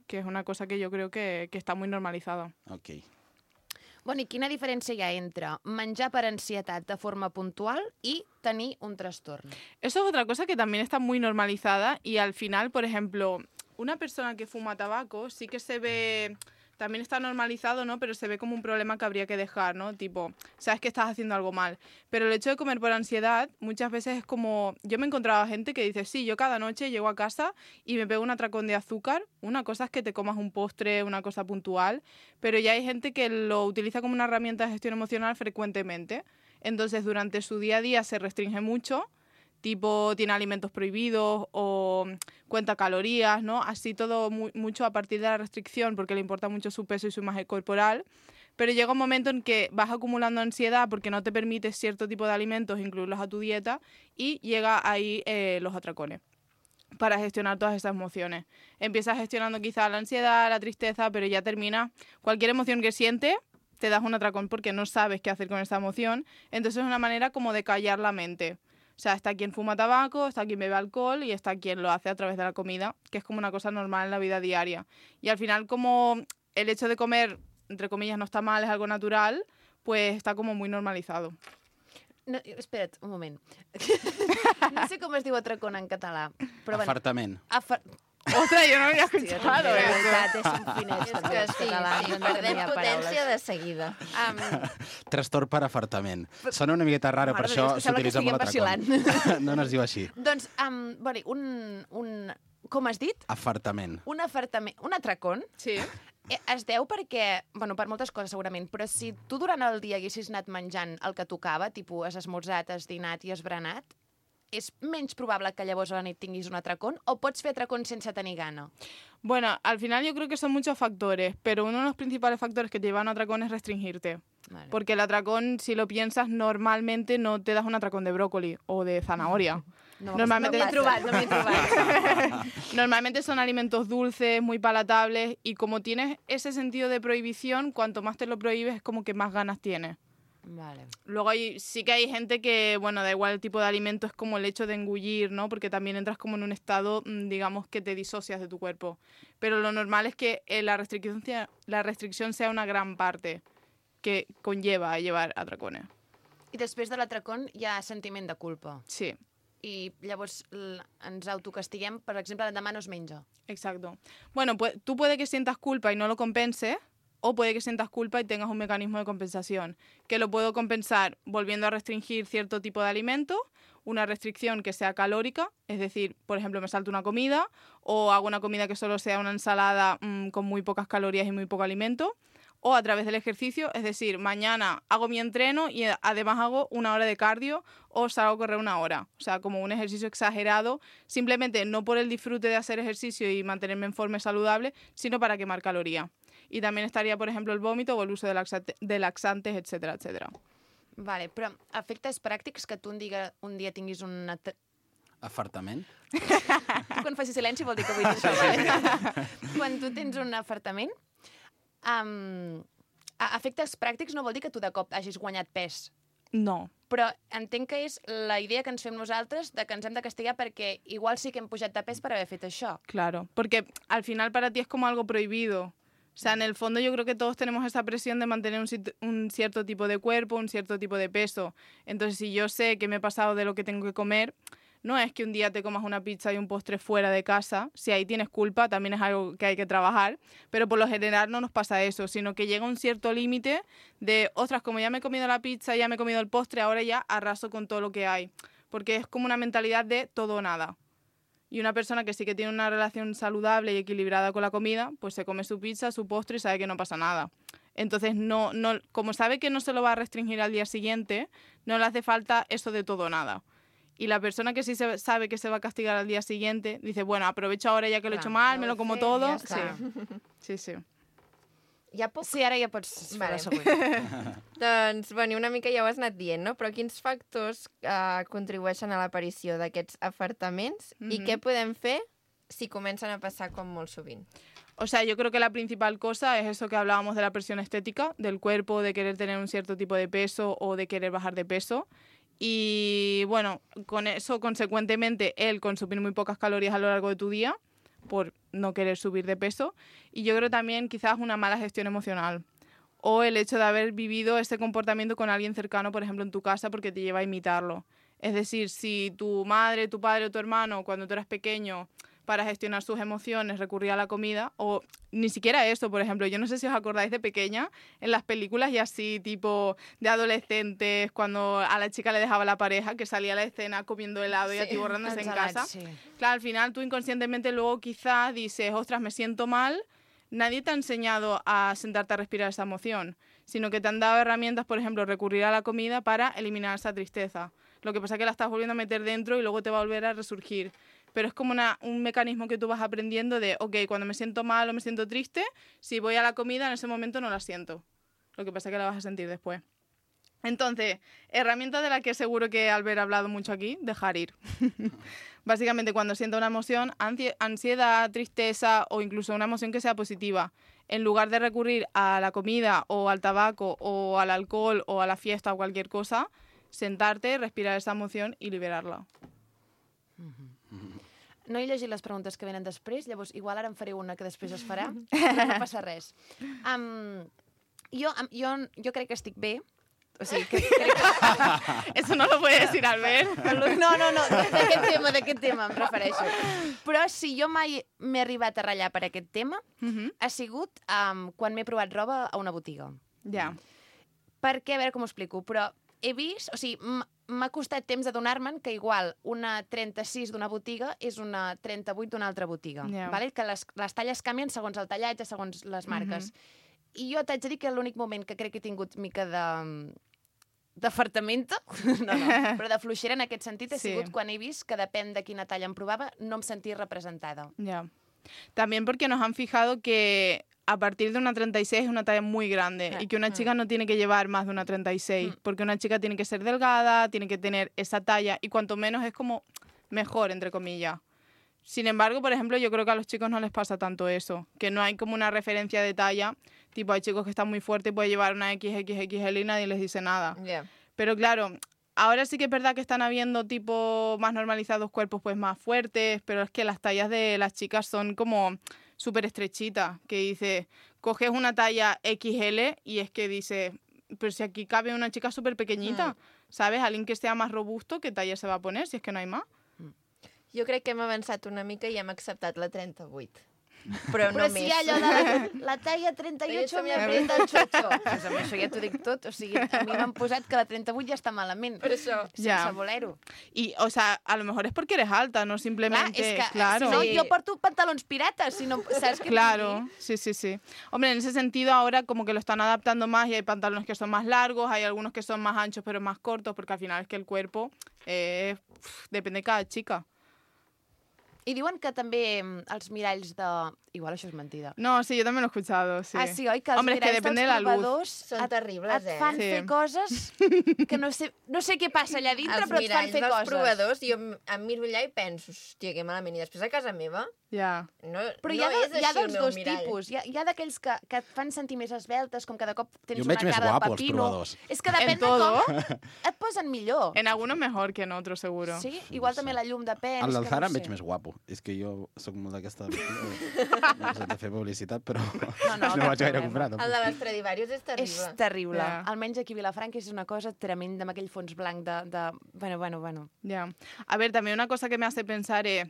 es una cosa que yo creo que está muy normalizada. Ok. Bueno, i quina diferència hi ha entre menjar per ansietat de forma puntual i tenir un trastorn? Eso es otra cosa que también está muy normalizada y al final, por ejemplo, una persona que fuma tabaco sí que se ve... También está normalizado, ¿no? Pero se ve como un problema que habría que dejar, ¿no? Tipo, sabes que estás haciendo algo mal. Pero el hecho de comer por ansiedad muchas veces es como... Yo me he encontrado gente que dice, sí, yo cada noche llego a casa y me pego un atracón de azúcar. Una cosa es que te comas un postre, una cosa puntual, pero ya hay gente que lo utiliza como una herramienta de gestión emocional frecuentemente. Entonces, durante su día a día se restringe mucho, tipo tiene alimentos prohibidos o cuenta calorías, ¿no? Así todo mucho a partir de la restricción porque le importa mucho su peso y su imagen corporal, pero llega un momento en que vas acumulando ansiedad porque no te permites cierto tipo de alimentos incluirlos a tu dieta y llega ahí los atracones para gestionar todas esas emociones. Empiezas gestionando quizás la ansiedad, la tristeza, pero ya termina. Cualquier emoción que sientes, te das un atracón porque no sabes qué hacer con esa emoción. Entonces es una manera como de callar la mente. O sea, está quien fuma tabaco, está quien bebe alcohol y está quien lo hace a través de la comida, que es como una cosa normal en la vida diaria. Y al final, como el hecho de comer, entre comillas, no está mal, es algo natural, pues está como muy normalizado. No, espera't, un moment. No sé com es diu atracón en català, però bueno. Afartament. Ostres, yo no había Hòstia, escuchado de eso. veritat, és un finets, És també, que els sí, catalans. sí, no perdem tenia potència paraules. de seguida. Trastorn per afartament. Sona una miqueta raro, per Mare de això Déu, és que sembla que s'utilitza molt estiguem atracón. No es diu així. Doncs, bueno, com has dit? Afartament. Un afartament, un atracón, Sí. es deu perquè, bueno, per moltes coses segurament, però si tu durant el dia haguessis anat menjant el que tocava, tipus has esmorzat, has dinat i has berenat, és menys probable que llavors a la nit tinguis un atracón o pots fer atracón sense tenir gana? Bueno, al final yo creo que son muchos factores, pero uno de los principales factores que te llevan a un atracón es restringirte. Vale. Porque el atracón, si lo piensas, normalmente no te das un atracón de brócoli o de zanahoria. Normalmente no m'he trobat. Normalmente son alimentos dulces, muy palatables, y como tienes ese sentido de prohibición, cuanto más te lo prohíbes, es como que más ganas tienes. Vale. Luego sí que hay gente que, bueno, da igual el tipo de alimento, es como el hecho de engullir, ¿no? Porque también entras como en un estado, digamos, que te disocias de tu cuerpo. Pero lo normal es que la restricción sea una gran parte que conlleva a llevar atracones. I després de l'atracón hi ha sentiment de culpa. Sí. I llavors ens autocastiguem, per exemple, l'endemà no es menja. Exacto. Bueno, pues tú puede que sientas culpa y no lo compenses, o puede que sientas culpa y tengas un mecanismo de compensación, que lo puedo compensar volviendo a restringir cierto tipo de alimentos, una restricción que sea calórica, es decir, por ejemplo, me salto una comida o hago una comida que solo sea una ensalada con muy pocas calorías y muy poco alimento, o a través del ejercicio, es decir, mañana hago mi entreno y además hago 1 hora de cardio o salgo a correr 1 hora. O sea, como un ejercicio exagerado, simplemente no por el disfrute de hacer ejercicio y mantenerme en forma saludable, sino para quemar calorías. Y también estaría, por ejemplo, el vómito o el uso de laxantes, etcétera, etcétera. Vale, però efectes pràctics que tu un dia tinguis un... Afartament? Tu quan facis silenci vol dir que vull dir això. Vale? Quan tu tens un afartament, efectes pràctics no vol dir que tu de cop hagis guanyat pes. No. Però entenc que és la idea que ens fem nosaltres de que ens hem de castigar perquè igual sí que hem pujat de pes per haver fet això. Claro, porque al final para ti es como algo prohibido. O sea, en el fondo yo creo que todos tenemos esa presión de mantener un cierto tipo de cuerpo, un cierto tipo de peso. Entonces, si yo sé que me he pasado de lo que tengo que comer, no es que un día te comas una pizza y un postre fuera de casa. Si ahí tienes culpa, también es algo que hay que trabajar. Pero por lo general no nos pasa eso, sino que llega un cierto límite de, ostras, como ya me he comido la pizza, ya me he comido el postre, ahora ya arraso con todo lo que hay. Porque es como una mentalidad de todo o nada. Y una persona que sí que tiene una relación saludable y equilibrada con la comida, pues se come su pizza, su postre y sabe que no pasa nada. Entonces, no, como sabe que no se lo va a restringir al día siguiente, no le hace falta eso de todo o nada. Y la persona que sí sabe que se va a castigar al día siguiente, dice, bueno, aprovecho ahora ya que lo he hecho mal, me lo como todo. Sí. Ja puc... Sí, ara ja pots fer la Vale. següent. Doncs, bueno, una mica ja ho has anat dient, no? Però quins factors contribueixen a l'aparició d'aquests afartaments i què podem fer si comencen a passar com molt sovint? O sea, yo creo que la principal cosa es eso que hablábamos de la presión estética, del cuerpo, de querer tener un cierto tipo de peso o de querer bajar de peso. Y bueno, con eso, consecuentemente, el consumir muy pocas calorías a lo largo de tu día por no querer subir de peso. Y yo creo también quizás una mala gestión emocional. O el hecho de haber vivido ese comportamiento con alguien cercano, por ejemplo, en tu casa, porque te lleva a imitarlo. Es decir, si tu madre, tu padre o tu hermano, cuando tú eras pequeño, para gestionar sus emociones recurría a la comida, o ni siquiera eso, por ejemplo, yo no sé si os acordáis de pequeña, en las películas y así, tipo de adolescentes, cuando a la chica le dejaba la pareja, que salía a la escena comiendo helado y atiborrándose en casa. Sí. Claro, al final tú inconscientemente luego quizás dices, ostras, me siento mal. Nadie te ha enseñado a sentarte a respirar esa emoción, sino que te han dado herramientas, por ejemplo, recurrir a la comida para eliminar esa tristeza. Lo que pasa es que la estás volviendo a meter dentro y luego te va a volver a resurgir. Pero es como un mecanismo que tú vas aprendiendo de, ok, cuando me siento mal o me siento triste, si voy a la comida en ese momento no la siento. Lo que pasa es que la vas a sentir después. Entonces, herramienta de la que seguro que Albert ha hablado mucho aquí, dejar ir. Básicamente, cuando sienta una emoción, ansiedad, tristeza o incluso una emoción que sea positiva, en lugar de recurrir a la comida o al tabaco o al alcohol o a la fiesta o cualquier cosa, sentarte, respirar esa emoción i liberar-la. No he llegit les preguntes que venen després, llavors igual ara em faré una que després es farà, però no passa res. Jo crec que estic bé. O sigui, crec que... Eso no lo puede decir Albert. No, d'aquest tema em refereixo. Però si jo mai m'he arribat a ratllar per aquest tema, ha sigut quan m'he provat roba a una botiga. Ja. Perquè, a veure com ho explico, però he vist, o sigui, m'ha costat temps adonar-me'n que igual una 36 d'una botiga és una 38 d'una altra botiga. Yeah. Vale? Que les talles canvien segons el tallatge, segons les marques. I jo t'haig de dir que l'únic moment que crec que he tingut mica d'afartamento, però de fluixera en aquest sentit ha sigut quan he vist que depèn de quina talla em provava, no em sentia representada. Ya. También porque nos han fijado que a partir de una 36 es una talla muy grande y que una chica no tiene que llevar más de una 36, porque una chica tiene que ser delgada, tiene que tener esa talla y cuanto menos es como mejor, entre comillas. Sin embargo, por ejemplo, yo creo que a los chicos no les pasa tanto eso, que no hay como una referencia de talla, tipo hay chicos que están muy fuertes y pueden llevar una XXXL y nadie les dice nada. Yeah. Pero claro, ahora sí que es verdad que están habiendo tipo más normalizados cuerpos pues más fuertes, pero es que las tallas de las chicas son como súper estrechitas, que dice, coges una talla XL y es que dice, pero si aquí cabe una chica súper pequeñita, ¿sabes? Alguien que sea más robusto, ¿qué talla se va a poner si es que no hay más? Jo crec que hem avançat una mica i hem acceptat la 38. Però no Però més. si hi ha allò de la talla 38 me aprieta el xocho. Pues amb això ja t'ho dic tot. O sigui, a mi m'han posat que la 38 ja està malament. Per això. Sense voler-ho. Y, o sea, a lo mejor es porque eres alta, no simplemente... Clar, és que claro. si no, jo porto pantalons pirates, si no, saps què Claro, sí. Hombre, en ese sentido ahora como que lo están adaptando más y hay pantalones que son más largos, hay algunos que son más anchos pero más cortos, porque al final es que el cuerpo depende de cada chica. I diuen que també els miralls de... Igual això és mentida. No, sí, yo también lo he escuchado, sí. Ah, sí, oi? Que els Hombre, es que miralls depende de dels la luz. provadors Són terribles, et fan Sí. fer coses que no sé què passa allà dintre, Els però et fan miralls fer dels coses. provadors, jo em miro allà i penso, hòstia, que malament. I després a casa meva, Ya. no, Però no hi ha és dels així el meu dos mirall. tipus. Hi ha d'aquells que et fan sentir més esbeltes, com que de cop tens Jo em una veig més cara de guapo, els pepino. provadors. És que depèn En de todo. com et posen millor. En algunos mejor que en otros, seguro. Sí? Igual també la llum depèn. El és del que Zara no em veig sé. més guapo. És que jo sóc molt d'aquesta... No sé de fer publicitat, però no, no cap vaig gaire problema. comprar. El tampoc. de les Stradivarius és terrible. És terrible. Ja. Almenys aquí a Vilafranca és una cosa tremenda, amb aquell fons blanc de... Bueno. Ya. A ver, también una cosa que me hace pensar es,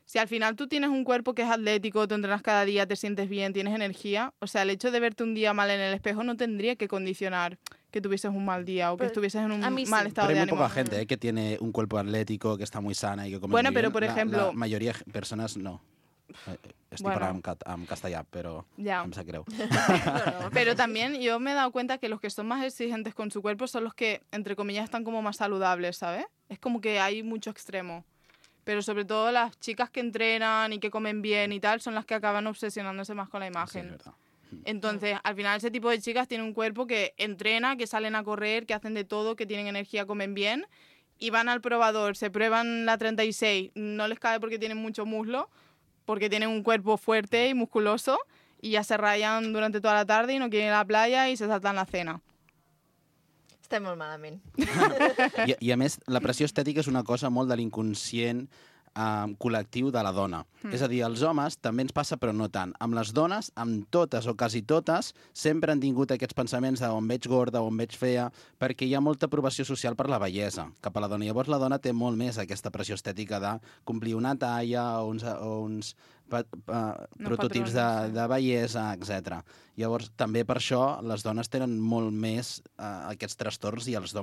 si al final tú tienes un cuerpo que es atlético, te entrenas cada día, te sientes bien, tienes energía, o sea, el hecho de verte un día mal en el espejo no tendría que condicionar que tuvieses un mal día o que Pero estuvieses en un a mí sí. mal estado Pero hay de muy ánimo. poca gente que tiene un cuerpo atlético, que está muy sana y que come Bueno, muy pero bien. por ejemplo- La mayoría de persones no. Estic Bueno. parlant en castellà, però Ja. em sap greu. Pero también yo me he dado cuenta que los que son más exigentes con su cuerpo son los que, entre comillas, están como más saludables, ¿sabes? Es como que hay mucho extremo. Pero sobre todo las chicas que entrenan y que comen bien y tal son las que acaban obsesionándose más con la Sí, imagen. és veritat. Entonces, al final ese tipo de chicas tienen un cuerpo que entrena, que salen a correr, que hacen de todo, que tienen energía, comen bien y van al probador, se prueban la 36, no les cabe porque tienen mucho muslo, porque tienen un cuerpo fuerte y musculoso y ya se rayan durante toda la tarde y no quieren ir a la playa y se saltan la cena. Estem molt malament. I a més, la pressió estètica és una cosa molt de l'inconscient col·lectiu de la dona. És a dir, als homes també ens passa, però no tant. Amb les dones, amb totes o quasi totes, sempre han tingut aquests pensaments d'on veig gorda, on veig fea, perquè hi ha molta aprovació social per la bellesa cap a la dona. Llavors la dona té molt més aquesta pressió estètica de complir una talla o uns prototips patrons, de bellesa, etc. Llavors, també per això, les dones tenen molt més aquests trastorns i els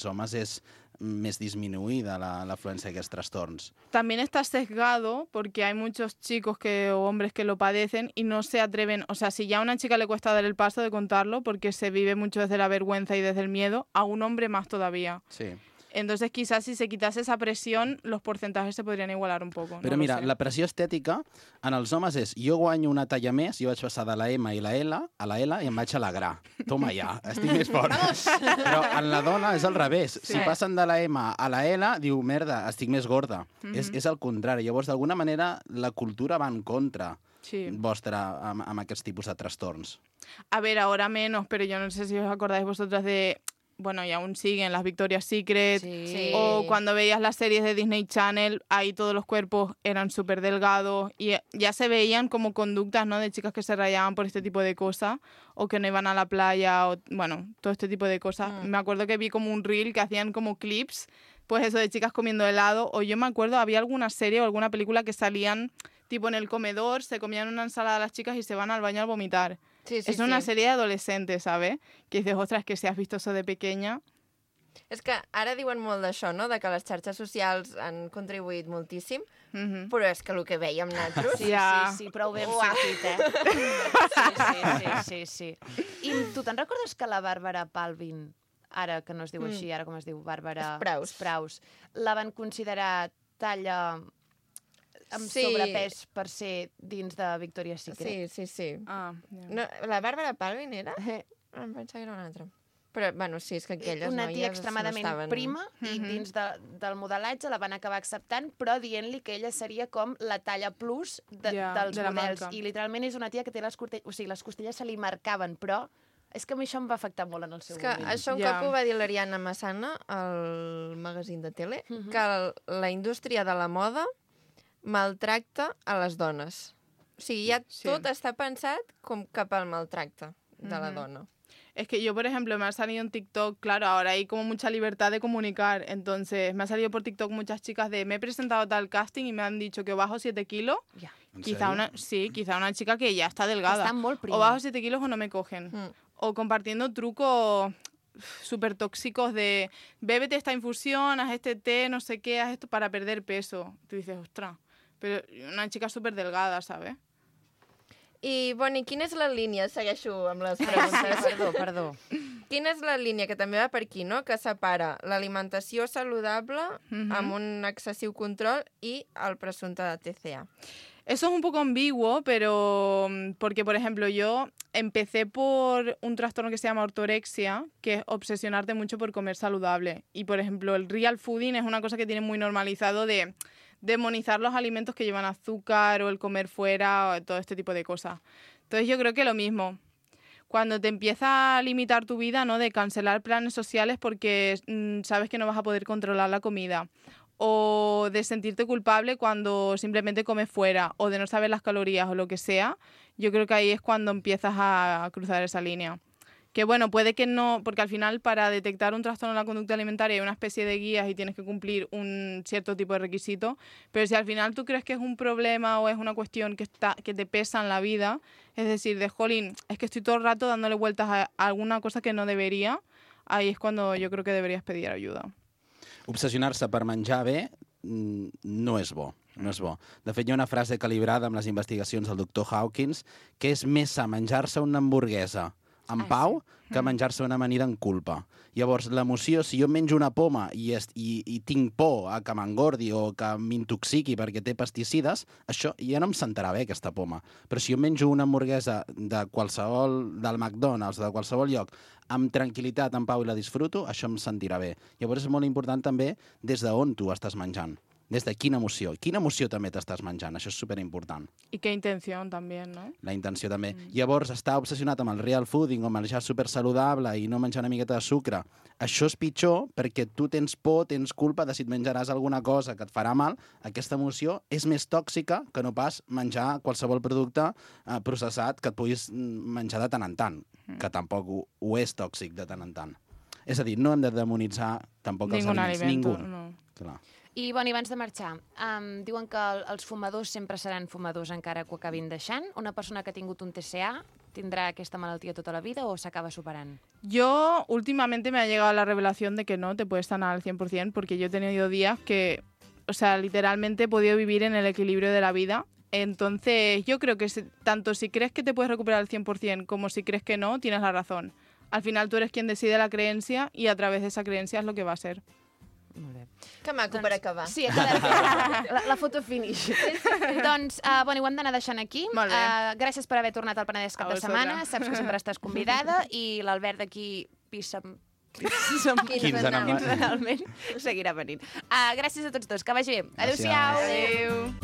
homes és més disminuïda l'afluència d'aquests trastorns. También está sesgado porque hay muchos chicos o hombres que lo padecen y no se atreven, o sea, si ya a una chica le cuesta dar el paso de contarlo porque se vive mucho desde la vergüenza y desde el miedo, a un hombre más todavía. Sí. Entonces, quizás si se quitase esa presión, los porcentajes se podrían igualar un poco. Però no mira, lo sé. la pressió estètica en els homes és jo guanyo una talla més, jo vaig passar de la M i la L a la L i em vaig alegrar. Toma ja, estic més fort. Però en la dona és al revés. Si passen de la M a la L, diu, merda, estic més gorda. És el contrari. Llavors, d'alguna manera, la cultura va en contra vostra amb aquests tipus de trastorns. A ver, ahora menos, pero yo no sé si os acordáis vosotras de... Bueno, y aún siguen las Victoria's Secret, Sí. o cuando veías las series de Disney Channel, ahí todos los cuerpos eran súper delgados y ya se veían como conductas, ¿no?, de chicas que se rayaban por este tipo de cosas, o que no iban a la playa, o bueno, todo este tipo de cosas. Me acuerdo que vi como un reel que hacían como clips, pues eso, de chicas comiendo helado, o yo me acuerdo, había alguna serie o alguna película que salían tipo en el comedor, se comían una ensalada las chicas y se van al baño a vomitar. Sí, sí, Es una serie de adolescentes, ¿sabes? Que dices, ostras, que si has visto eso de pequeña... És que ara diuen molt d'això, no?, de que les xarxes socials han contribuït moltíssim, però és que el que veiem nosaltres... Sí, prou ben sortit, Sí. I tu te'n recordes que la Bàrbara Palvin, ara que no es diu així, ara com es diu, Bàrbara Spraus, la van considerar talla amb sobrepès per ser dins de Victoria's Secret? Sí. Ah, No, la Bàrbara Palvin era? Em pensava que era una altra. Però, bueno, sí, és que aquelles Una noies tia extremadament no estaven... prima i dins del modelatge la van acabar acceptant, però dient-li que ella seria com la talla plus dels de la models. marca. I literalment és una tia que té les costelles... O sigui, les costelles se li marcaven, però és que a mi això em va afectar molt en el seu És que moment. això un cop ho va dir l'Ariana Massana al magazín de tele, que la indústria de la moda maltracta a les dones. O sigui, ja tot està pensat com cap al maltracte de la dona. Es que yo, por ejemplo, me ha salido en TikTok, claro, ahora hay como mucha libertad de comunicar, entonces me ha salido por TikTok muchas chicas de me he presentado a tal casting y me han dicho que bajo 7 kilos, Ja. quizá una chica que ya está delgada, Està molt prima. o bajo 7 kilos o no me cogen, o compartiendo trucos súper tóxicos de bébete esta infusión, haz este té, no sé qué, haz esto para perder peso. Tú dices, ostras, pero una chica súper delgada, ¿sabes? I, Boni, quina és la línia? Segueixo amb les preguntes. Perdó. Quina és la línia, que també va per aquí, no?, que separa l'alimentació saludable amb un excessiu control i el presumpte de TCA? Eso es un poco ambiguo, pero porque, por ejemplo, yo empecé por un trastorno que se llama ortorexia, que es obsesionarte mucho por comer saludable. Y, por ejemplo, el real fooding es una cosa que tiene muy normalizado de demonizar los alimentos que llevan azúcar o el comer fuera o todo este tipo de cosas. Entonces yo creo que lo mismo. Cuando te empieza a limitar tu vida, ¿no?, de cancelar planes sociales porque sabes que no vas a poder controlar la comida, o de sentirte culpable cuando simplemente comes fuera, o de no saber las calorías o lo que sea, yo creo que ahí es cuando empiezas a cruzar esa línea. Que bueno, puede que no, porque al final para detectar un trastorno de la conducta alimentaria hay una especie de guías y tienes que cumplir un cierto tipo de requisito, pero si al final tú crees que es un problema o es una cuestión que te pesa en la vida, es decir, de jolín, es que estoy todo el rato dándole vueltas a alguna cosa que no debería, ahí es cuando yo creo que deberías pedir ayuda. Obsessionar-se per menjar bé no és bo. No és bo. De fet, hi ha una frase calibrada amb les investigacions del doctor Hawkins que és més sa menjar-se una hamburguesa en pau que menjar-se una amanida en culpa. Llavors, l'emoció, si jo menjo una poma i tinc por a que m'engordi o que m'intoxiqui perquè té pesticides, això ja no em sentarà bé, aquesta poma. Però si jo menjo una hamburguesa del McDonald's o de qualsevol lloc amb tranquil·litat, en pau i la disfruto, això em sentirà bé. Llavors és molt important també des d'on tu estàs menjant. Des de quina emoció també t'estàs menjant, això és superimportant. I qué intención también, ¿no? La intenció també. Llavors, estar obsessionat amb el real fooding o menjar supersaludable i no menjar una miqueta de sucre, això és pitjor perquè tu tens por, tens culpa de si et menjaràs alguna cosa que et farà mal. Aquesta emoció és més tòxica que no pas menjar qualsevol producte processat que et puguis menjar de tant en tant, que tampoc ho és tòxic de tant en tant. És a dir, no hem de demonitzar tampoc els aliments. Ningú. No. Clar. I, Boni, abans de marxar, diuen que els fumadors sempre seran fumadors encara que ho acabin deixant. Una persona que ha tingut un TCA tindrà aquesta malaltia tota la vida o s'acaba superant? Yo últimamente me ha llegado la revelación de que no te puedes sanar al 100% porque yo he tenido días que, o sea, literalmente he podido vivir en el equilibrio de la vida. Entonces, yo creo que tanto si crees que te puedes recuperar al 100% como si crees que no, tienes la razón. Al final tú eres quien decide la creencia y a través de esa creencia es lo que va a ser. Que maco per acabar. Sí, ha quedat la foto finish. Doncs, bueno, ho hem d'anar deixant aquí. Molt bé. Gràcies per haver tornat al Penedès cap A de setmana. vosaltres. Saps que sempre estàs convidada. I l'Albert d'aquí Quinzenalment. seguirà venint. Gràcies a tots dos. Que vagi bé. Gràcies. Adéu-siau. Adéu.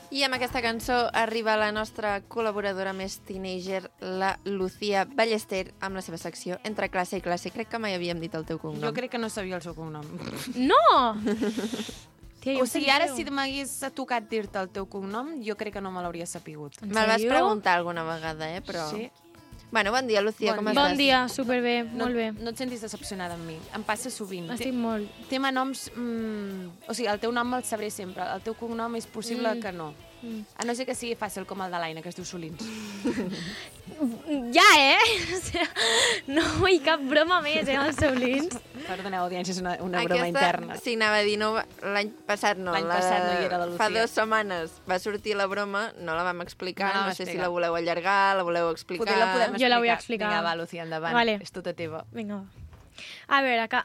I amb aquesta cançó arriba la nostra col·laboradora més teenager, la Lucía Ballester, amb la seva secció Entre classe i classe. Crec que mai havíem dit el teu cognom. Jo crec que no sabia el seu cognom. No! Tia, O sigui, ara si m'hagués tocat dir-te el teu cognom, jo crec que no me l'hauria sapigut. Me'l vas sèrio? preguntar alguna vegada, però... Sí? Bueno, bon dia, Lucía, Bon com dia. estàs? Bon dia, superbé, molt bé. No et sentis decepcionada amb mi. Em passa sovint. Estic molt... Té noms... O sigui, el teu nom me'l sabré sempre. El teu cognom és possible que no. A no ser que sigui fàcil com el de l'Aina, que es diu Solins. Ja, O sigui, no vull cap broma més, els Solins. Perdoneu, audiència, és una broma interna. Sí, anava a dir, no, l'any passat no. L'any passat no hi era la Lucía. Fa 2 setmanes va sortir la broma, no la vam explicar, No la no, vam sé si explicar. la voleu allargar, la voleu explicar... Poder la podem explicar. Jo la vull explicar. Vinga, va, Lucía, endavant. Vale. És tota teva. Vinga, va. A veure, que...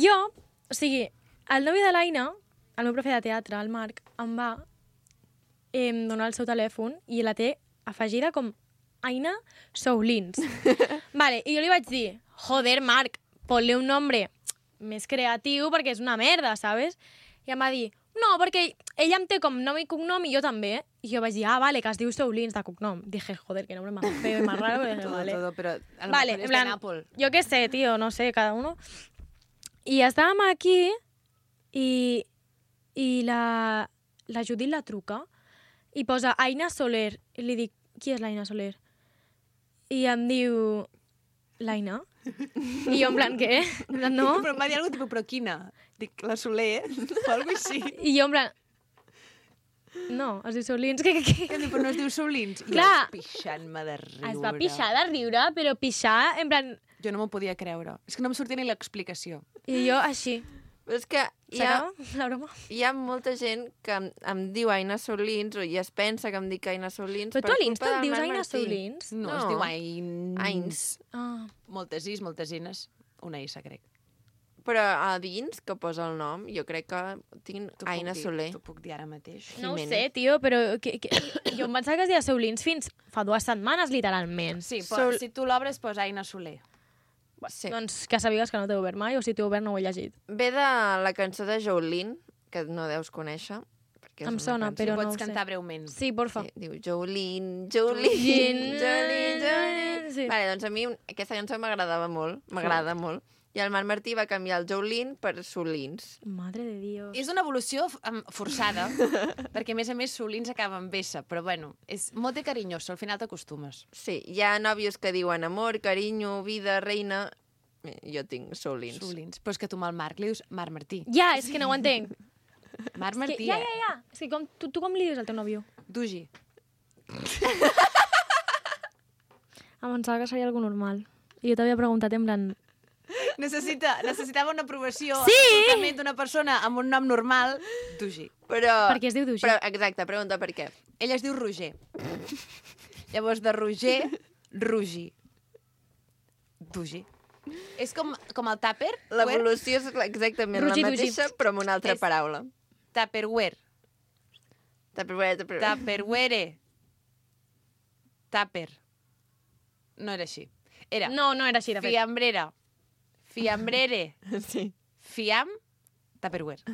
Jo, o sigui, el nòvio de l'Aina, el meu profe de teatre, el Marc, em va donar el seu telèfon i la té afegida com Aina Soulins. Vale, i jo li vaig dir, joder, Marc, ponle un nombre més creatiu perquè és una merda, ¿sabes? I em va dir, no, perquè ella em té com nom i cognom i jo també. I jo vaig dir, vale, que es diu Soulins de cognom. Dije, joder, que nombre más feo y más raro. Dije, vale. Todo, però a lo Vale, mejor en és plan, de Nàpol. yo qué sé, tío, no sé, cada uno. I estàvem aquí i la Judit la truca i posa Aina Soler. I li dic, qui és l'Aina Soler? I em diu, l'Aina? I jo en plan, què? En plan, no? Però em va dir alguna cosa, però quina? Dic, la Soler, o alguna cosa així. I jo en plan, no, es diu Solins. I em diu, però no es diu Solins. I Clar. jo pixant-me de riure. Es va pixar de riure, però pixar, en plan... Jo no m'ho podia creure. És que no em sortia ni l'explicació. I jo així. Però és que Serà la broma? hi ha molta gent que em diu Aina Solins o ja es pensa que em dic Aina Solins Però tu a culpa l'Insta et del dius Marc Aina Martí. Solins? No, No. es diu Ains. Ains. Ah. Moltes is, moltes ines. Una issa, crec. Però a dins, que posa el nom, jo crec que tinc T'ho puc Aina dir, Soler. T'ho puc dir ara mateix. No ho Jiménez. sé, tio, però jo em pensava que es deia Soulins fins fa 2 setmanes, literalment. Sí, però si tu l'obres, posa Aina Soler. Sí. Doncs que sàpigues que no t'he obert mai, o si t'he obert no ho he llegit. Ve de la cançó de Jolene, que no deus conèixer. Perquè és Em una sona, cançó. però no Pots ho sé. cantar breument. Sí, porfa. Sí, diu Jolene, Jolene, Jolene, Jolene. sí. Vale, doncs a mi aquesta cançó m'agradava molt, m'agrada molt. I el Marc Martí va canviar el Jolene per Solins. Madre de Dios. És una evolució forçada, perquè a més Solins acaba amb S, però bueno, és molt de carinyoso, al final t'acostumes. Sí, hi ha nòvios que diuen amor, carinyo, vida, reina... Jo tinc Solins. Solins. Però és que tu amb el Marc li dius Marc Martí. Ja, és que no ho entenc. Marc És que, Martí, ja. És que tu com li dius al teu nòvio? Dugi. Em pensava que seria algo normal. I jo t'havia preguntat en plan... Necessitava una aprovació Sí! absolutament d'una persona amb un nom normal, Dugi. Però... Per què es diu Dugi? Però, exacte, pregunta per què. Ell es diu Roger. Llavors, de Roger, Rugi. Dugi. És com el tàper. L'evolució és exactament Rugi, la Dugi. mateixa, però amb una altra És- paraula. Tupperware. Tupperware. Tupperware. Tupper. No era així. Era No, no era així, de fet. fiambrera. Fiambrere. Sí. Fiam. Tupperware.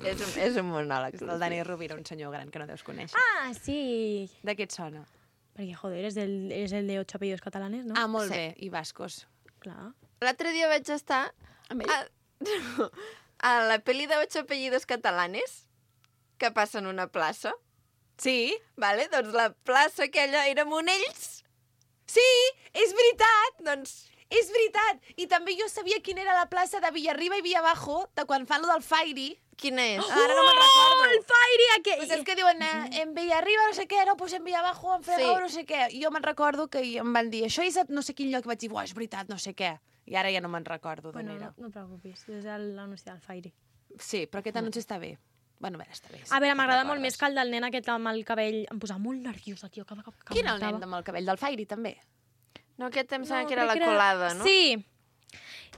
És un monòleg. El Dani Rovira, un senyor gran que no deus conèixer. Ah, sí. De què et sona? Perquè, joder, és el de 8 apellidos catalanes, no? Ah, molt Sí. bé. I bascos. Clar. L'altre dia vaig estar Amb ell? a la pel·li de 8 apellidos catalanes que passa en una plaça. Sí? Vale? Doncs la plaça aquella era Monells. Sí, és veritat! Doncs És veritat! I també jo sabia quina era la plaça de Villarriba i Villabajo, de quan fan lo del Fairy. Quina és? Ara no me'n recordo. El Fairy aquell! Pues és que diuen, en Villarriba no sé què, no, pues en Villabajo, en Fregau, Sí. no sé què. I jo me'n recordo que em van dir, això és a no sé quin lloc, i vaig dir, buah, és veritat, no sé què. I ara ja no me'n recordo d'on Bueno, era. no et preocupis, és l'anunci del Fairy. Sí, però aquest anunci està bé. Bueno, a veure, està bé. A veure, m'agrada molt més que el del nen aquest amb el cabell. Em posava molt nerviosa, tio, cada cop que Quin el cantava. nen amb el cabell del Fairy, també? No, aquest em sembla No, que era crec la colada, no? Sí,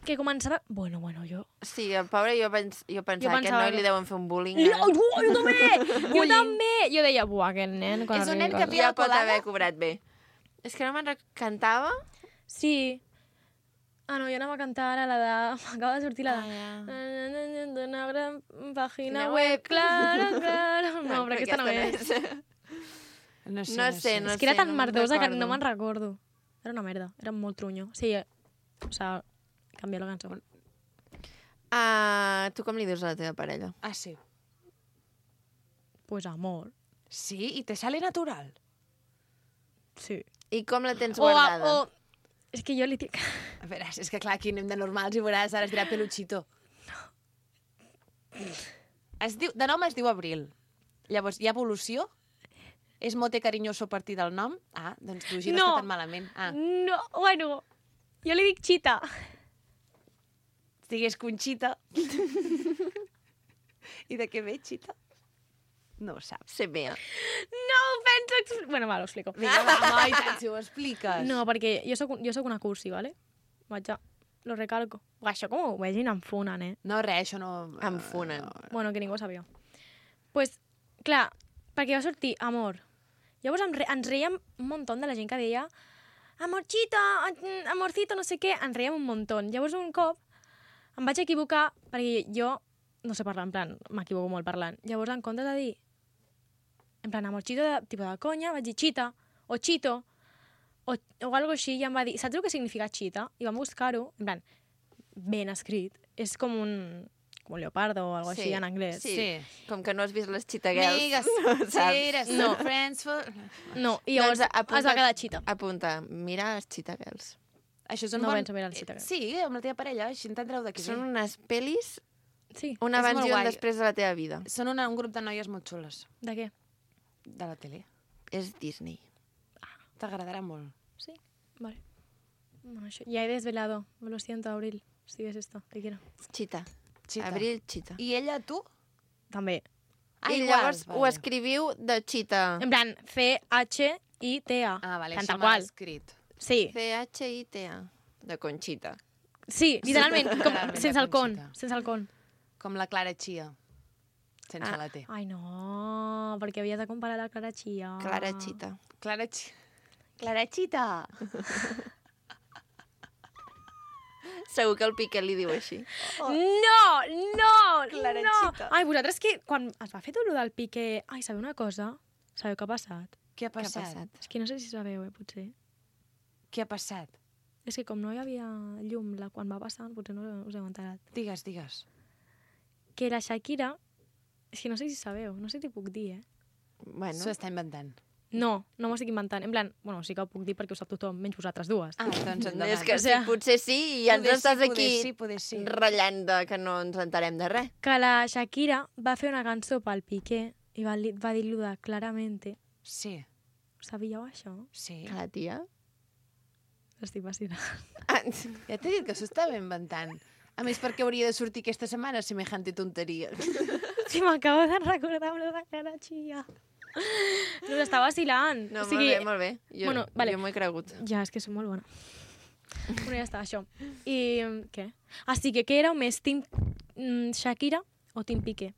que començava... Bueno, jo... Sí, el pobre, jo pensava que pensava no li deuen fer un bullying. Jo també! Jo també! Jo deia, buah, aquest nen... quan És un arribi nen a que casa. havia Ja pot colada? haver cobrat bé. És que no me'n cantava? Sí. Ah, no, jo anava a cantar ara la de... M'acaba de sortir la de... Una gran pàgina web, clara. No, però aquesta no és. No sé, No sé, És que era tan no me'n merdosa que no recordo. me'n recordo. Era una merda, era molt trunyo. Sí, o sea, canvia la cançó. Tu com li dius a la teva parella? Ah, sí. Pues amor. Sí? I te sale natural? Sí. I com la tens guardada? És que jo li dic... A veure, és que clar, aquí anem de normals i veuràs, ara es dirà peluchito. De nom es diu Abril. Llavors, hi ha evolució? És mote carinyoso a partir del nom? Ah, doncs tu, no No. està tan malament. Ah, No, bueno, jo li dic Chita. digués Conxita. I de què ve, Xita? No ho saps. Sé bé. No ho penso... Bueno, va, ho explico. Vinga, va, i tant, si ho expliques. No, perquè jo soc una cursi, ¿vale? Vaig a... Lo recalco. Uah, això com ho vegin em funen, eh? No, res, això no... Em funen. Bueno, que ningú ho sabia. Pues, clar, perquè va sortir Amor. Llavors ens reiem un munt de la gent que deia Amorchito, amorcito, no sé què. Ens reiem un munt. Llavors un cop em vaig equivocar perquè jo no sé parlar, en plan, m'equivoco molt parlant. Llavors, en comptes de dir en plan, amorchito, tipus de conya, vaig dir chita, o chito, o algo així, i em va dir, saps el que significa chita? I vam buscar-ho, en plan, ben escrit. És com un leopardo o algo així en anglès. Sí. Com que no has vist les Cheetah Girls. Amigues, no saps. cheers, No. friends for... No, i llavors es va quedar chita. Apunta, mira les Cheetah Girls. Això és un No bon... penso mirar els Cheetah Girls. Sí, amb la teva parella, així entendreu de què Són ve. unes pel·lis, Sí. un És abans molt i un guai. després de la teva vida. Són un grup de noies molt xules, De què? de la tele. És Disney. T'agradarà molt. Sí, vale. Bueno, això, ya he desvelado. Lo siento, Abril. Si ves esto, te quiero. Cheetah. Cheetah. Abril, Cheetah. I ella, tu? També. Ah, I igual, llavors ho vale. escriviu de Cheetah. En plan, C-H-I-T-A. Ah, vale, Tant així tal m'ha qual. escrit. Sí, C-H-I-T-A. De Conchita. sí, literalment, com, Literalment, sense el con. Conxita. Sense el con. Com la Clara Chia, sense la T. Ai, no, perquè havies de comparar la Clara Chia. Clara Cheetah. Clara Chia. Clara Chita. Segur que el Piqué li diu així. No, no, Clara no. Chita. Ai, vosaltres que quan es va fer tot el del Piqué... Ai, sabeu una cosa? Sabeu què ha passat? Què ha Què ha passat? passat? És que no sé si sabeu, potser. Què ha passat? És que com no hi havia llum quan va passar, potser no us heu enterat. Digues, digues. Que la Shakira... És que no sé si sabeu, no sé si t'hi puc dir, eh? Bueno, S'ho està inventant. No, no m'ho estic inventant. En plan, bueno, sí que ho puc dir perquè ho sap tothom, menys vosaltres dues. Ah, doncs endavant. és que O sea, sí, potser sí, i ja ens Poder estàs sí, aquí poder sí. ratllant de que no ens entarem de res. Que la Shakira va fer una cançó pel Piqué i va dir-lo de claramente. Sí, Sabíeu això? sí. Que la tia... Estic vacil·lant. Ah, Ja t'he dit que s'ho estava inventant. A més, perquè hauria de sortir aquesta setmana semejante tonteria. Sí, m'acabo de recordar amb la Clara Chia. No, està vacilant. no, O sigui, molt bé. Jo, bueno, vale. jo m'ho he cregut. Ja, és que soc molt bona. Bueno, ja està, això. I què? Ah, sí, que era més Team Shakira o Team Piqué?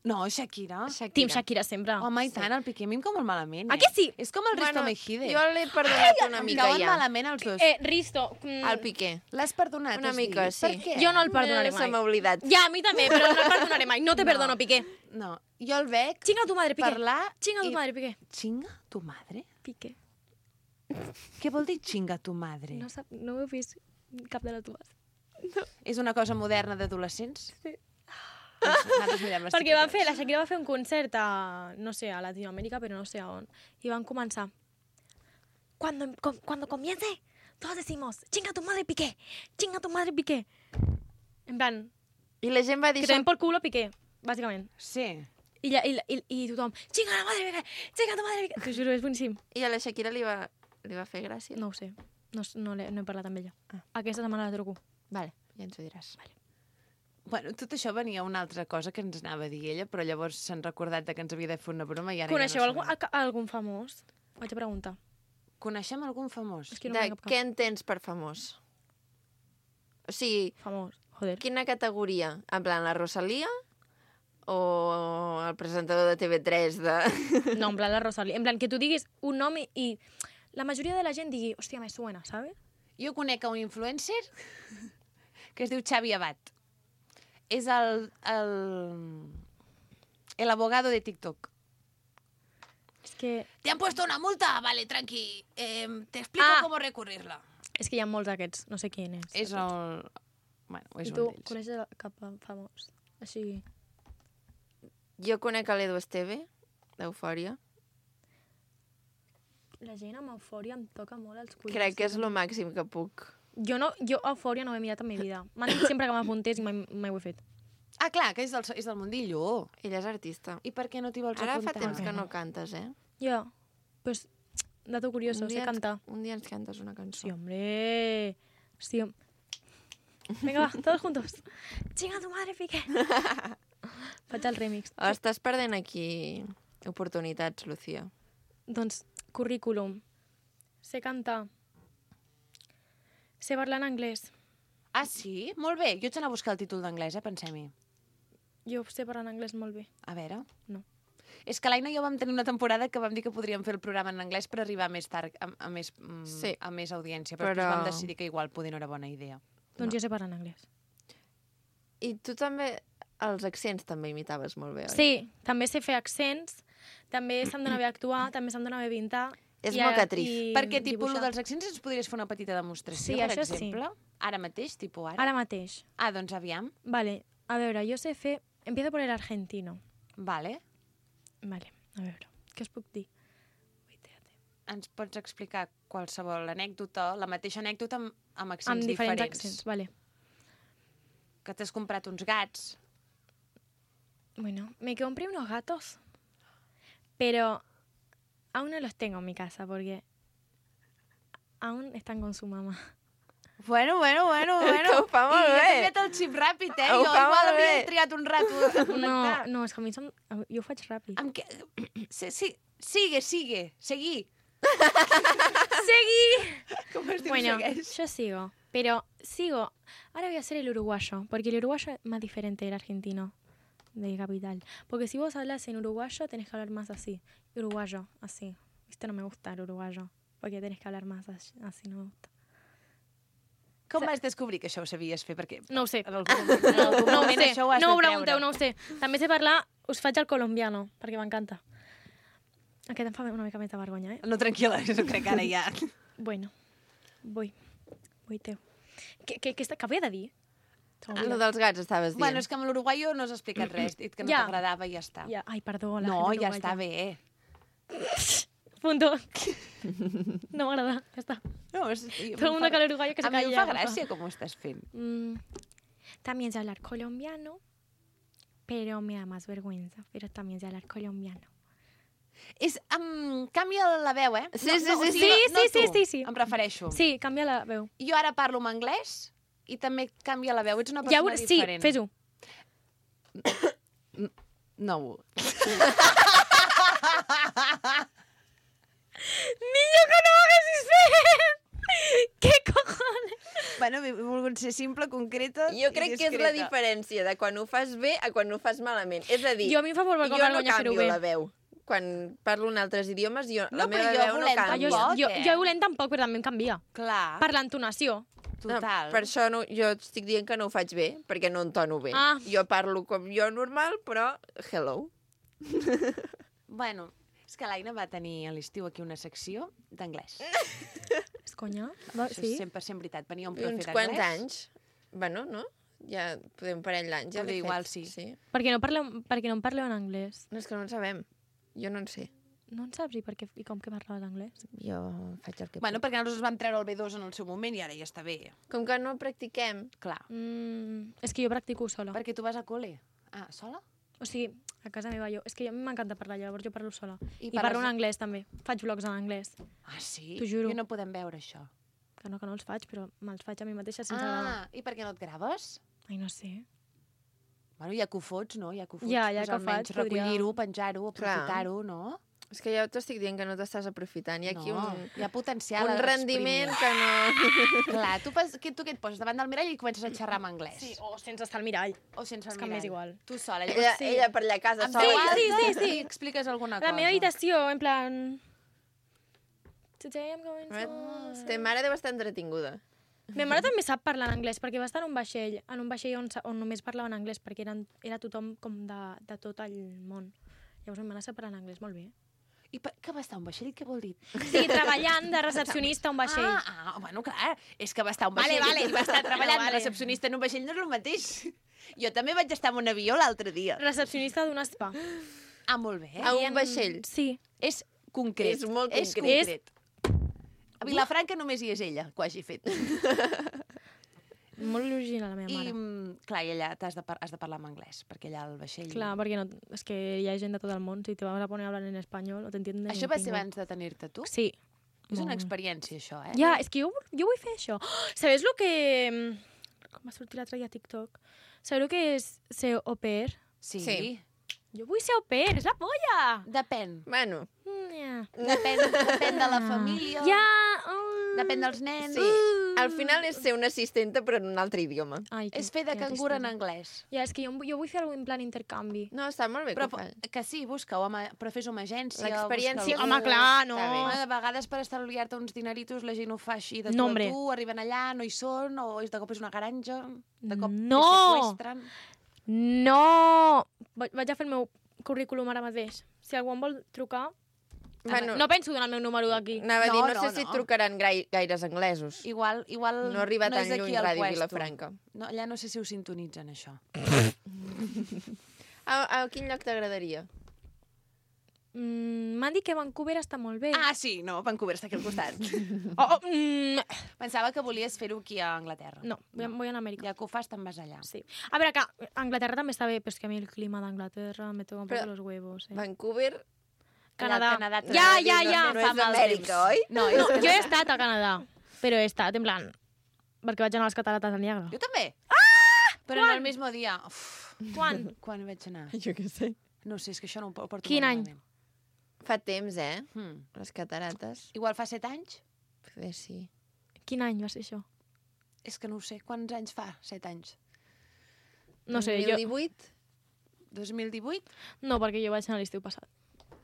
No, Shakira. Team Shakira sempre. Home, i tant, el Piqué a mi em cau molt malament, A que sí? És com el Risto Mejide. Jo l'he perdonat una Em mica cauen ja. malament els dos. Risto. El Piqué. L'has perdonat, Una has mica, dit? sí. Per què? Jo no el perdonaré Se mai. m'ha oblidat. Ja, a mi també, però no el perdonaré mai. No te perdono, Piqué. No, jo el veig Chinga tu madre, Piqué. parlar... Chinga tu i- madre, Piqué. Chinga tu madre? Piqué. Què vol dir chinga tu madre? No ho he vist cap de les dues. És una cosa moderna d'adolescents? Sí. Doncs nosaltres mirem les Perquè TikToks. la Shakira va fer un concert a, no sé, a Latinoamèrica, però no sé a on. I van començar. Cuando comience todos decimos, chinga tu madre Piqué, chinga tu madre Piqué. En plan, I la gent va dir que te den por culo Piqué, bàsicament. Sí. I tothom, chinga la madre Piqué, chinga tu madre Piqué. T'ho juro, és boníssim. I a la Shakira li va fer gràcia. No ho sé, no he parlat amb ella. Aquesta setmana la truco. Vale, ja ens ho diràs. Vale. Bueno, tot això venia una altra cosa que ens anava a dir ella, però llavors s'han recordat que ens havia de fer una broma i ara Coneixeu ja no algun famós? Vaig a preguntar. Coneixem algun famós? És que no De em ve cap què entens per famós? O sigui, famós. Joder. quina categoria? En plan, la Rosalia o el presentador de TV3 de... No, en plan la Rosalía. En plan, que tu diguis un nom i la majoria de la gent digui, hòstia, me suena, ¿sabes? Jo conec un influencer que es diu Xavi Abad. És el abogado de TikTok. És que, ¿Te han puesto una multa? Vale, tranqui. Te explico cómo recurrirla. és que hi ha molts d'aquests, no sé quin és. És el... Bueno, és I un tu d'ells. coneixes cap famós? Així... Jo conec l'Edu Esteve, d'Eufòria. La gent amb eufòria em toca molt els collons. Crec que és el màxim que puc. Jo eufòria no ho he mirat en mi vida. M'han dit sempre que m'apuntés i mai ho he fet. Ah, clar, que és del mundillo. Ella és artista. I per què no t'hi vols Ara fa apuntar? temps que no cantes, eh? Ja, pues, dato curioso, sé cantar. Un dia ens cantes una cançó. Sí, hombre. Sí, venga, va, todos juntos. Chinga tu madre, Piqué. Faig el remix. Estàs perdent aquí oportunitats, Lucía. Doncs, currículum. Sé cantar. Sé parlar en anglès. Ah, sí? Molt bé. Jo ets anar a buscar el títol d'anglès, pensem-hi. Jo sé parlar en anglès molt bé. A veure. No. És que l'Aina i jo vam tenir una temporada que vam dir que podríem fer el programa en anglès per arribar més tard, a més audiència, però després vam decidir que igual poder no era bona idea. Doncs jo sé parlar en anglès. I tu també, els accents també imitaves molt bé, oi? Sí, també sé fer accents, també se'm dona bé actuar, també se'm dona bé pintar. És mocatriz. Perquè, tipus, el dels accents ens podries fer una petita demostració, Sí, per això sí. exemple? Ara mateix, tipus ara? Ara mateix. Ah, doncs aviam. Vale, a veure, jo sé fer... Empiezo por el argentino. Vale. Vale, a veure, què us puc dir? Ens pots explicar qualsevol anècdota, la mateixa anècdota amb accents Amb diferents diferents. accents, vale. Que t'has comprat uns gats. Bueno, me compré unos gatos, pero aún no los tengo en mi casa porque aún están con su mamá. Bueno. Que ho fa molt I bé. ja t'he fet el xip ràpid, eh? Ho Jo fa igual molt havia bé. triat un rato a connectar. No, és que a mi jo ho faig ràpid. Amb què... Sí, sigue, seguí. ¡Seguí! Com es diu Bueno, segueix? yo sigo, pero sigo. Ahora voy a hacer el uruguayo, porque el uruguayo es más diferente del argentino, de capital. Porque si vos hablas en uruguayo, tenés que hablar más así. Uruguayo, así. Viste, no me gusta el uruguayo, porque tenés que hablar más así, no me gusta. Com vas descobrir que això ho sabies fer? Perquè No ho sé. en algun No ho moment sé, això ho has no ho de pregunteu, treure. no ho sé. També sé parlar, us faig el colombiano, perquè m'encanta. Aquest em fa una mica més de vergonya, eh? No, tranquil·la, jo crec que ara ja... Bueno, voy teu. Què havia de dir? Lo dels gats estaves dient. Bueno, és que amb l'uruguaio no has explicat res, dit que no Ja. t'agradava i ja està. Ja, ai, perdó. La No, gent ja uruguaya. està bé. Punto. No m'agrada, ja està. No, Todo el mundo que l'uruguayo que se A mi em calla. fa gràcia com ho estàs fent. También sé hablar colombiano, pero me da más vergüenza. Pero también sé hablar colombiano. És, canvia la veu, eh? Sí, no, sí, no, o sí, sigui, sí. no Sí, tu, sí, sí. Em refereixo. Sí, canvia la veu. Jo ara parlo en anglès i també canvia la veu. Ets una Ja persona sí, diferent. fes-ho. No. Niño, que no hagas eso. ¿Qué cojones? Bueno, he volgut ser simple, concreta Jo crec i que és la discreta. diferència de quan ho fas bé a quan ho fas malament. És a dir, Jo a mi em fa molt jo no vergonya fer-ho canvio bé. la veu. Quan parlo en altres idiomes, la No, meva però jo veu no volent canvia. tampoc. Jo volent tampoc, però també em canvia. Clar, Per l'entonació. total. No, per això no, jo estic dient que no ho faig bé, perquè no entono bé. Ah. Jo parlo com jo normal, però hello. Bueno, és que l'Aina va tenir a l'estiu aquí una secció d'anglès. És conya? Això Sí? és 100% veritat. Venia un I profe uns d'anglès. quants anys. Bueno, no? Ja podem un parell d'anys. Ja Però l'he igual fet. sí. Perquè no em parleu en anglès. No, és que no en sabem. Jo no en sé. No en saps i com que parlaves anglès? Jo faig el que Bueno, perquè nosaltres vam treure el B2 en el seu moment i ara ja està bé. Com que no practiquem, Clar. És que jo practico sola. Perquè tu vas a col·le. Ah, sola? O sigui, a casa meva jo... És que a mi m'encanta parlar, llavors jo parlo sola. I I parlo parles- en anglès, també. Faig vlogs en anglès. Ah, sí? T'ho juro. I no podem veure això. Que no els faig, però me'ls faig a mi mateixa sense gravar. I per què no et graves? Ai, no sé. Bueno, ja que ho fots, no? Ja que ho fots, Ja que ho almenys faig, podria- recollir-ho, penjar-ho, Clar. aprofitar-ho, no? és que ja t'estic dient que no t'estàs aprofitant. Hi ha aquí no, hi ha potencial un a rendiment exprimir. que no... Clar, tu què et poses davant del mirall i comences a xerrar en anglès. Sí, o sense estar al mirall. O sense el És que m'és mirall. igual. Tu sola. Ella per allà a casa Amb sola. veu alta sí. i expliques alguna A cosa. la meva habitació, en plan... Today I'm going to... Ta mare deu estar entretinguda. Ma mare també sap parlar en anglès, perquè va estar en un vaixell on només parlaven anglès, perquè era tothom com de tot el món. Llavors ma mare sap parlar en anglès molt bé. I què va estar un vaixell? Què vol dir? Sí, treballant de recepcionista a un vaixell. Bueno, clar, és que va estar un vaixell Vale. i va estar treballant Vale. de recepcionista en un vaixell, no és el mateix. Jo també vaig estar en un avió l'altre dia. Recepcionista d'un spa. Ah, molt bé. A un vaixell. Sí. És concret. És molt És concret. concret. A Vilafranca només hi és ella, que ho hagi fet. Molt original, la meva I, mare. clar, i allà has de parlar en anglès, perquè allà al vaixell... Clar, perquè no, és que hi ha gent de tot el món. Si te vas a poner a hablar en espanyol, no t'entienden. Això va ser abans de tenir-te tu? Sí. És una Molt. experiència, això, eh? Ja, és que jo vull fer això. Oh, sabeu el que... Com va sortir l'altre dia a TikTok? Sabeu el que és ser au pair? Sí. Sí. Jo vull ser au pair, és la polla! Depèn. Bueno, Yeah. Depèn de la família, Ja... depèn dels nens. sí. Al final és ser una assistenta però en un altre idioma. Ai, És fer de cangur en anglès. Ja, és que jo vull fer alguna en plan intercanvi. No, està molt bé Però que ho fa. que sí, busca-ho, però fes-ho amb agència. L'experiència... busca-ho. Home, clar, no. Està bé. De vegades per estalviar-te uns dineritos la gent ho fa així de tu No, a hombre. tu, arriben allà, no hi són, o de cop és una granja, de cop No! te seqüestren. No! Vaig a fer el meu currículum ara mateix. Si algú em vol trucar... Bueno, No penso donar el meu número d'aquí. anava a dir, No, no, no, sé si no. trucaran gaires anglesos. Igual No arriba tan és aquí lluny al Ràdio puesto. Vilafranca. No, allà no sé si ho sintonitzen, això. A quin lloc t'agradaria? M'han dit que Vancouver està molt bé. Ah, sí, no, Vancouver està aquí al costat. Pensava que volies fer-ho aquí a Anglaterra. No, voy a Amèrica. Ja que ho fas, te'n vas allà. Sí. A veure, que Anglaterra també està bé, però és que a mi el clima d'Anglaterra me toca un Però- poco los huevos. Vancouver... Canadà. Canadà Ja, també ja, no- ja. No, No fa és mal Amèrica, temps. oi? No, No, és jo he estat a Canadà, però he estat, en plan... Perquè vaig anar a les catarates del Niagara. Jo també. Ah! Però no el mismo dia. Uf, Quan? quan vaig anar? Jo què sé. No sé, és que això no ho porto Quin molt any? malament. Fa temps, eh? Hmm. Les catarates. Igual fa 7 anys? Poder sí. Quin any va ser això? És que no ho sé. Quants anys fa? 7 anys. No sé, jo... 2018? 2018? No, perquè jo vaig anar l'estiu passat.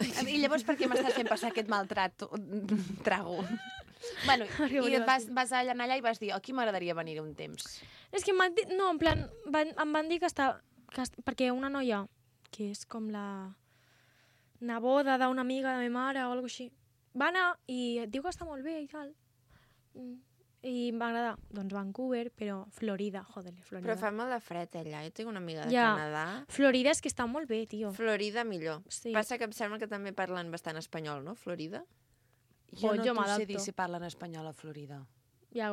I llavors per què m'estàs fent passar aquest maltrat trago? Bueno, Perquè i volia vas anar allà i vas dir, aquí m'agradaria venir un temps. És que m'han dit... No, en plan, em van dir que està... Perquè una noia, que és com la neboda d'una amiga de ma mare o alguna així, va anar i et diu que està molt bé i tal. I em va agradar. Doncs Vancouver, però Florida, joder, Florida. Però fa molt de fred allà. Jo tinc una amiga de Ja. Canadà. Florida és que està molt bé, tio. Florida millor. Sí. Passa que em sembla que també parlen bastant espanyol, no? Florida? Jo Pues no jo t'ho sé m'adapto. dir si parlen espanyol a Florida. Ja,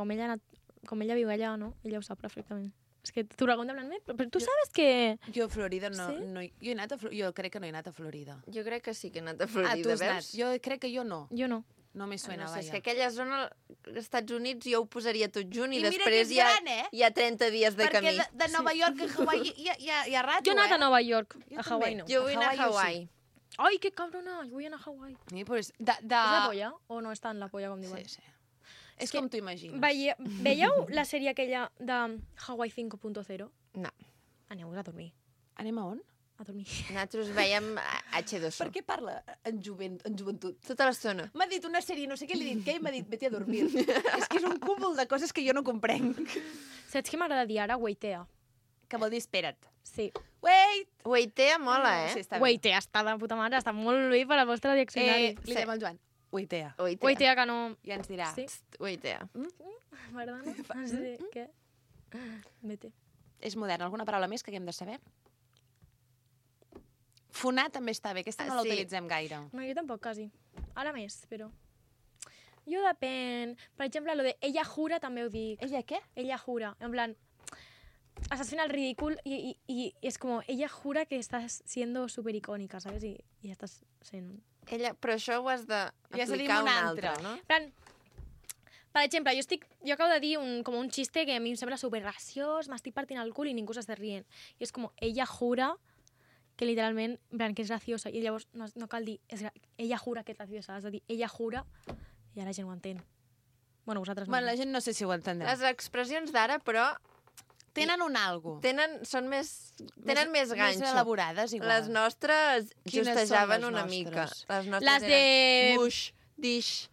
com ella viu allà, no? Ella ho sap perfectament. És que t'ho pregunta en plan, però tu sabes que... Jo a Florida no... Sí? no jo, he anat jo crec que no he anat a Florida. Jo crec que sí que he anat a Tu Florida, has anat. veus? Jo crec que jo no. Jo no. No me suena, No sé, és vaja. que aquella zona, als Estats Units, jo ho posaria tot junt i, I mira que després és hi ha, gran, eh? hi ha 30 dies de Perquè camí. de Nova York a Hawaii hi ha rato, Jo he anat a Nova York, Jo a també. Hawaii no. Jo vull anar a Hawaii, Hawaii. Ai, que cabrona, jo vull anar a Hawaii. Sí, pues, És la polla? O no és tant la polla com diuen? Sí. És com t'ho imagines. Veieu la sèrie aquella de Hawaii 5.0? No. Aneu a dormir. Anem a on? A dormir. Nosaltres veiem H2O. Per què parla en joventut? Tota l'estona. M'ha dit una sèrie, no sé què li he dit, què? I m'ha dit, vete a dormir. És que és un cúmul de coses que jo no comprenc. Saps què m'agrada dir ara? Waitea. Que vol dir espera't. Sí. Wait! Waitea mola, eh? Sí, està bé. Waitea està de puta mare, està molt bé per al vostre diccionari. Li diem al Joan. Waitea. Waitea que no... Ja ens dirà. Sí. Waitea. M'agrada, no? No sé què. Vete. És modern. Alguna paraula més que haguem de saber? Fonar també està bé, aquesta no la Sí. utilitzem gaire. No, jo tampoc, quasi. Ara més, però... Jo depèn. Per exemple, lo de ella jura també ho dic. Ella què? Ella jura. En plan, estás fent el ridícul y es como, ella jura que estás siendo súper icónica, ¿sabes? Y ya estás sent... Ella, però això ho has I has de dir d'aplicar un un altre. altre, no? En plan, per exemple, jo acabo de dir com un xiste que a mi em sembla súper graciós, m'estic partint el cul i ningú s'està rient. I és com, ella jura que literalment, en plan, que és graciosa. I llavors no cal dir, ella jura que és graciosa, has de dir, ella jura, i ja la gent ho entén. Bueno, vosaltres no. Bueno, la gent no sé si ho entendrà. Les expressions d'ara, però, Tenen un algo. tenen més ganxo. Més elaborades, igual. Les nostres Quines són justejaven les una nostres? mica. Les nostres Les de... eren muix, dish.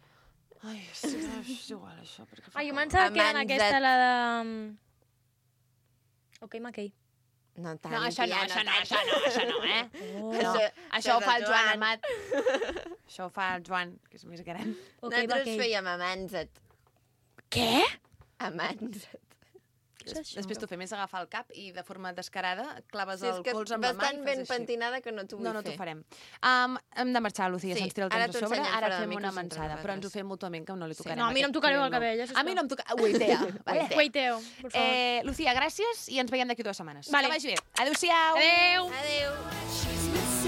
Ai, sí, és igual, això. Perquè fa Ai, jo com- pensava que eren Amanzat. aquesta, la de... Ok, McKay. No tant, No, això no, tia, això no, tant. això no, això no, eh? Oh. No, això ho és fa el el Joan Joan. Amat. Això ho fa el Joan, que és més gran. Ok, Nosaltres McKay. fèiem amanzat. Què? Amanzat. Què és això? Després t'ho fem és agafar el cap i de forma descarada claves Sí, és el que colze amb la mà i bastant fas ben així. pentinada que no t'ho vull No, no fer. t'ho farem. Hem de marxar, Lucía, Sí, se'ns tira el ara temps a t'ho sobre. ensenyem Ara fora de fem micros una entre manxada, però ens ho nosaltres. fem mútuament, que no li tocarem. No, a mi no em tocareu el cabell, A mi no em toca... Uitea. Vale? Guaiteo, por favor. Lucía, gràcies i ens veiem d'aquí 2 setmanes. Vale. Que vagi bé. Adéu-siau. Adeu! Adéu.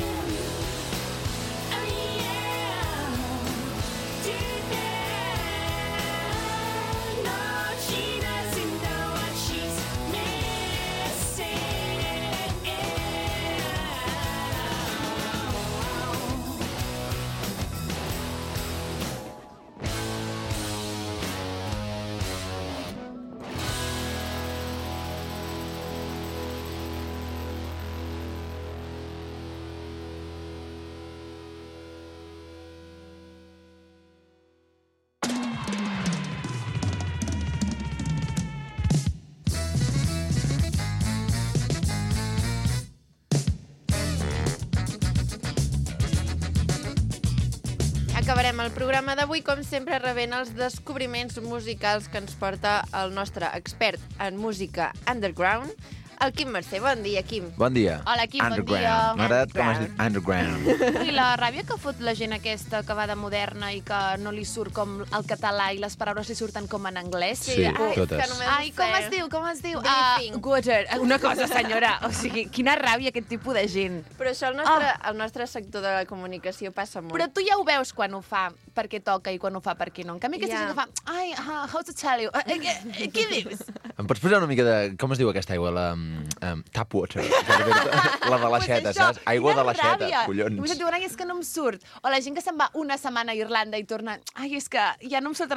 Acabarem el programa d'avui, com sempre, rebent els descobriments musicals que ens porta el nostre expert en música underground, el Quim Mercè. Bon dia, Quim. Bon dia. Hola, Quim, bon Underground. dia. M'ha agradat com has dit Underground. Ui, la ràbia que fot la gent aquesta que va de moderna i que no li surt com el català i les paraules li surten com en anglès. Sí, ai, totes. que només Ai, com sé. es diu, com es diu? Briefing. Gutter. Una cosa, senyora. O sigui, quina ràbia aquest tipus de gent. Però això al nostre sector de la comunicació passa molt. Però tu ja ho veus quan ho fa perquè toca i quan ho fa perquè no. En canvi, aquesta Ja. gent que fa... Ai, how to tell you? Què dius? Em pots posar una mica de... Com es diu aquesta aigua? La tap water. La de l'aixeta, Pues això, saps? Aigua de quina l'aixeta, ràbia. I collons. vostè diu, ai, és que no em surt. O la gent que se'n va una setmana a Irlanda i torna... Ai, és que ja no em surt...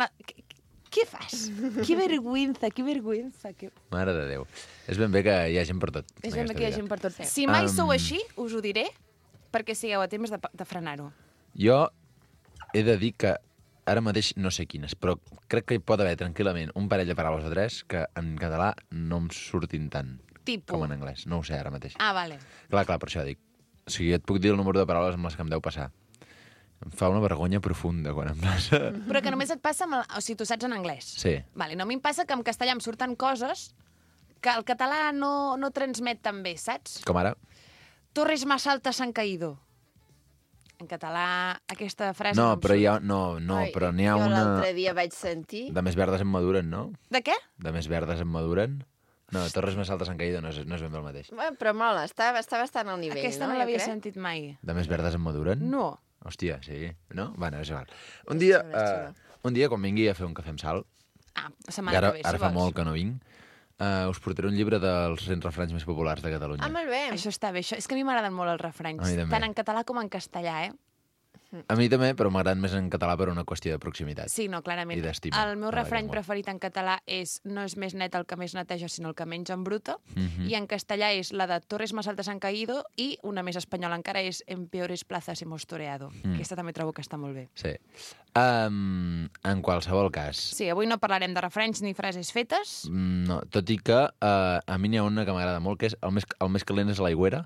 Què fas? Que vergüenza, que vergüenza. Que... Mare de Déu. És ben bé que hi ha gent per tot. És en ben bé aquesta que hi ha vida. gent per tot. Si mai sou Am. així, us ho diré, perquè sigueu a temps de frenar-ho. Jo he de dir que ara mateix no sé quines, però crec que hi pot haver tranquil·lament un parell de paraules o 3 que en català no em surtin tant Tipus. com en anglès. No ho sé ara mateix. Ah, vale. Clar, per això dic. O sigui, et puc dir el número de paraules amb les que em deu passar. Em fa una vergonya profunda quan em passa. Però que només et passa amb o sigui, tu saps en anglès. Sí. Vale, no, a mi em passa que en castellà em surten coses que el català no transmet tan bé, saps? Com ara? Torres más altas han caído. En català, aquesta frase No, em però surt. hi ha, no, Ai, però n'hi ha jo una... l'altre dia vaig sentir... De més verdes en maduren, no? De què? De més verdes en maduren? No, torres més altes han caído, no és ben bé el mateix. Bueno, però mola, està bastant al nivell, Aquesta no Jo l'havia crec. sentit mai. De més verdes en maduren? No. Hòstia, sí. No? Bueno, és igual. Un dia, quan vingui a fer un cafè amb sal, Ah, la que setmana ara, que ve, si ara fa vols. molt que no vinc, us portaré un llibre dels 100 refranys més populars de Catalunya. Ah, molt bé. Això està bé. Això... És que a mi m'agraden molt els refranys. A mi també. Tant en català com en castellà, eh? A mi també, però m'agraden més en català per una qüestió de proximitat. Sí, no, clarament. I d'estima El meu a la refrany llengua. preferit en català és no és més net el que més neteja, sinó el que menys embruta. Mhm. I en castellà és la de Torres más altas han caído i una més espanyola encara és En peores plazas hemos toreado. Aquesta també trobo que està molt bé. Sí. En qualsevol cas, Sí, avui no parlarem de refranys ni frases fetes. no, tot i que a mi n'hi ha una que m'agrada molt, que és el més calent és a l'aigüera.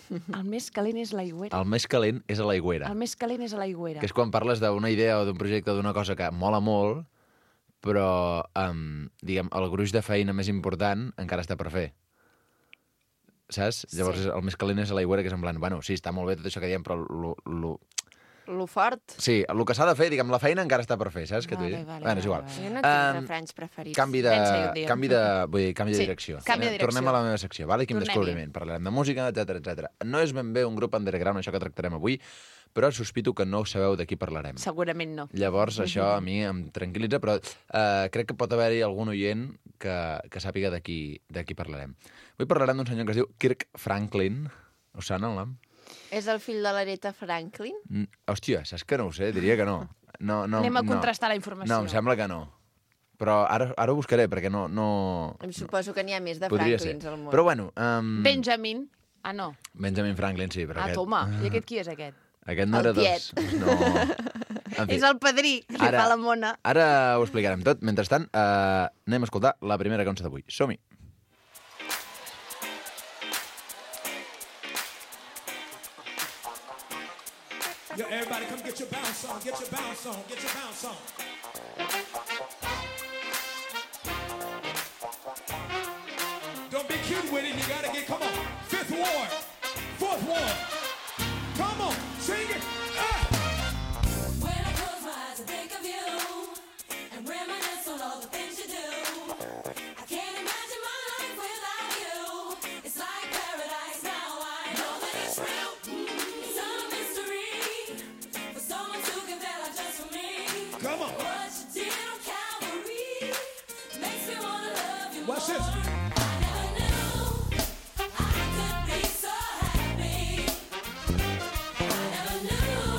El més calent és l'aigüera. El més calent és a l'aigüera. El més calent és a l'aigüera. Que és quan parles d'una idea o d'un projecte o d'una cosa que mola molt, però, diguem, el gruix de feina més important encara està per fer. saps? Llavors el més calent és a l'aigüera, que és en plan, bueno, sí, està molt bé tot això que diem, però Lo fort. sí, el que s'ha de fer, diguem, la feina encara està per fer, saps què t'ho dic? Vale, Bueno, és igual. Jo no tinc refranys preferits. Canvi de Sí, direcció. canvi de direcció. Tornem a la meva secció, vale? Quin Tornem-hi. descobriment. Parlarem de música, etc. No és ben bé un grup underground, això que tractarem avui, però sospito que no sabeu de qui parlarem. Segurament no. Llavors, això a mi em tranquil·litza, però crec que pot haver-hi algun oient que sàpiga de qui parlarem. Avui parlarem d'un senyor que es diu Kirk Franklin. Us sona el nom? És el fill de l'Aretha Franklin? Hòstia, saps que no ho sé? Diria que no. Anem a contrastar la informació. No, em sembla que no. Però ara ho buscaré, perquè no... Em suposo que n'hi ha més de Podria Franklins ser. al món. Però bueno... Benjamin. Ah, no. Benjamin Franklin, sí, però Ah, aquest... toma. I aquest qui és, aquest? Aquest no El era tiet. No. En fi, És el padrí, que li Ara- fa la mona. ara ho explicarem tot. Mentrestant, anem a escoltar la primera cançó d'avui. Som-hi. Yo, everybody come get your bounce on, get your bounce on, get your bounce on. Don't be cute with it, you gotta get, come on. Fifth ward, fourth ward. Come on, sing it. When I close my eyes, I think of you and reminisce on all the things you do. I can't imagine my life without you. It's like paradise now. I know that it's real. It's a mystery for someone to give their life just for me. Come on. What you did on Calvary makes me wanna love you Watch more. this. I never knew I could be so happy. I never knew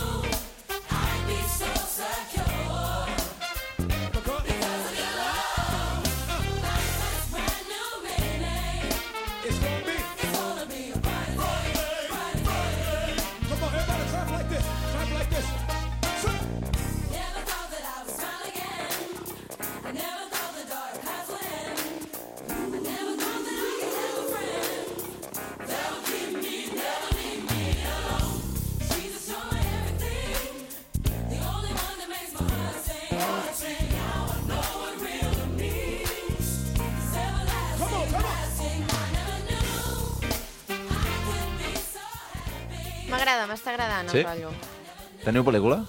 I'd be so secure. Because of your love, life has brand new meaning. It's gonna be. It's gonna be a bright day, bright day. Come on, everybody clap like this. Clap like this. Sing. Never thought that I would smile again. I never thought the dark paths would end. I never thought that I could have a friend that would keep me, never leave me alone. Jesus, you're my everything, the only one that makes my heart sing. Now I know what real love means. It's everlasting, Come on, come on. lasting. I never knew I could be so happy. M'agrada, m'està agradant Sí? el rotllo. Teniu pel·lícula?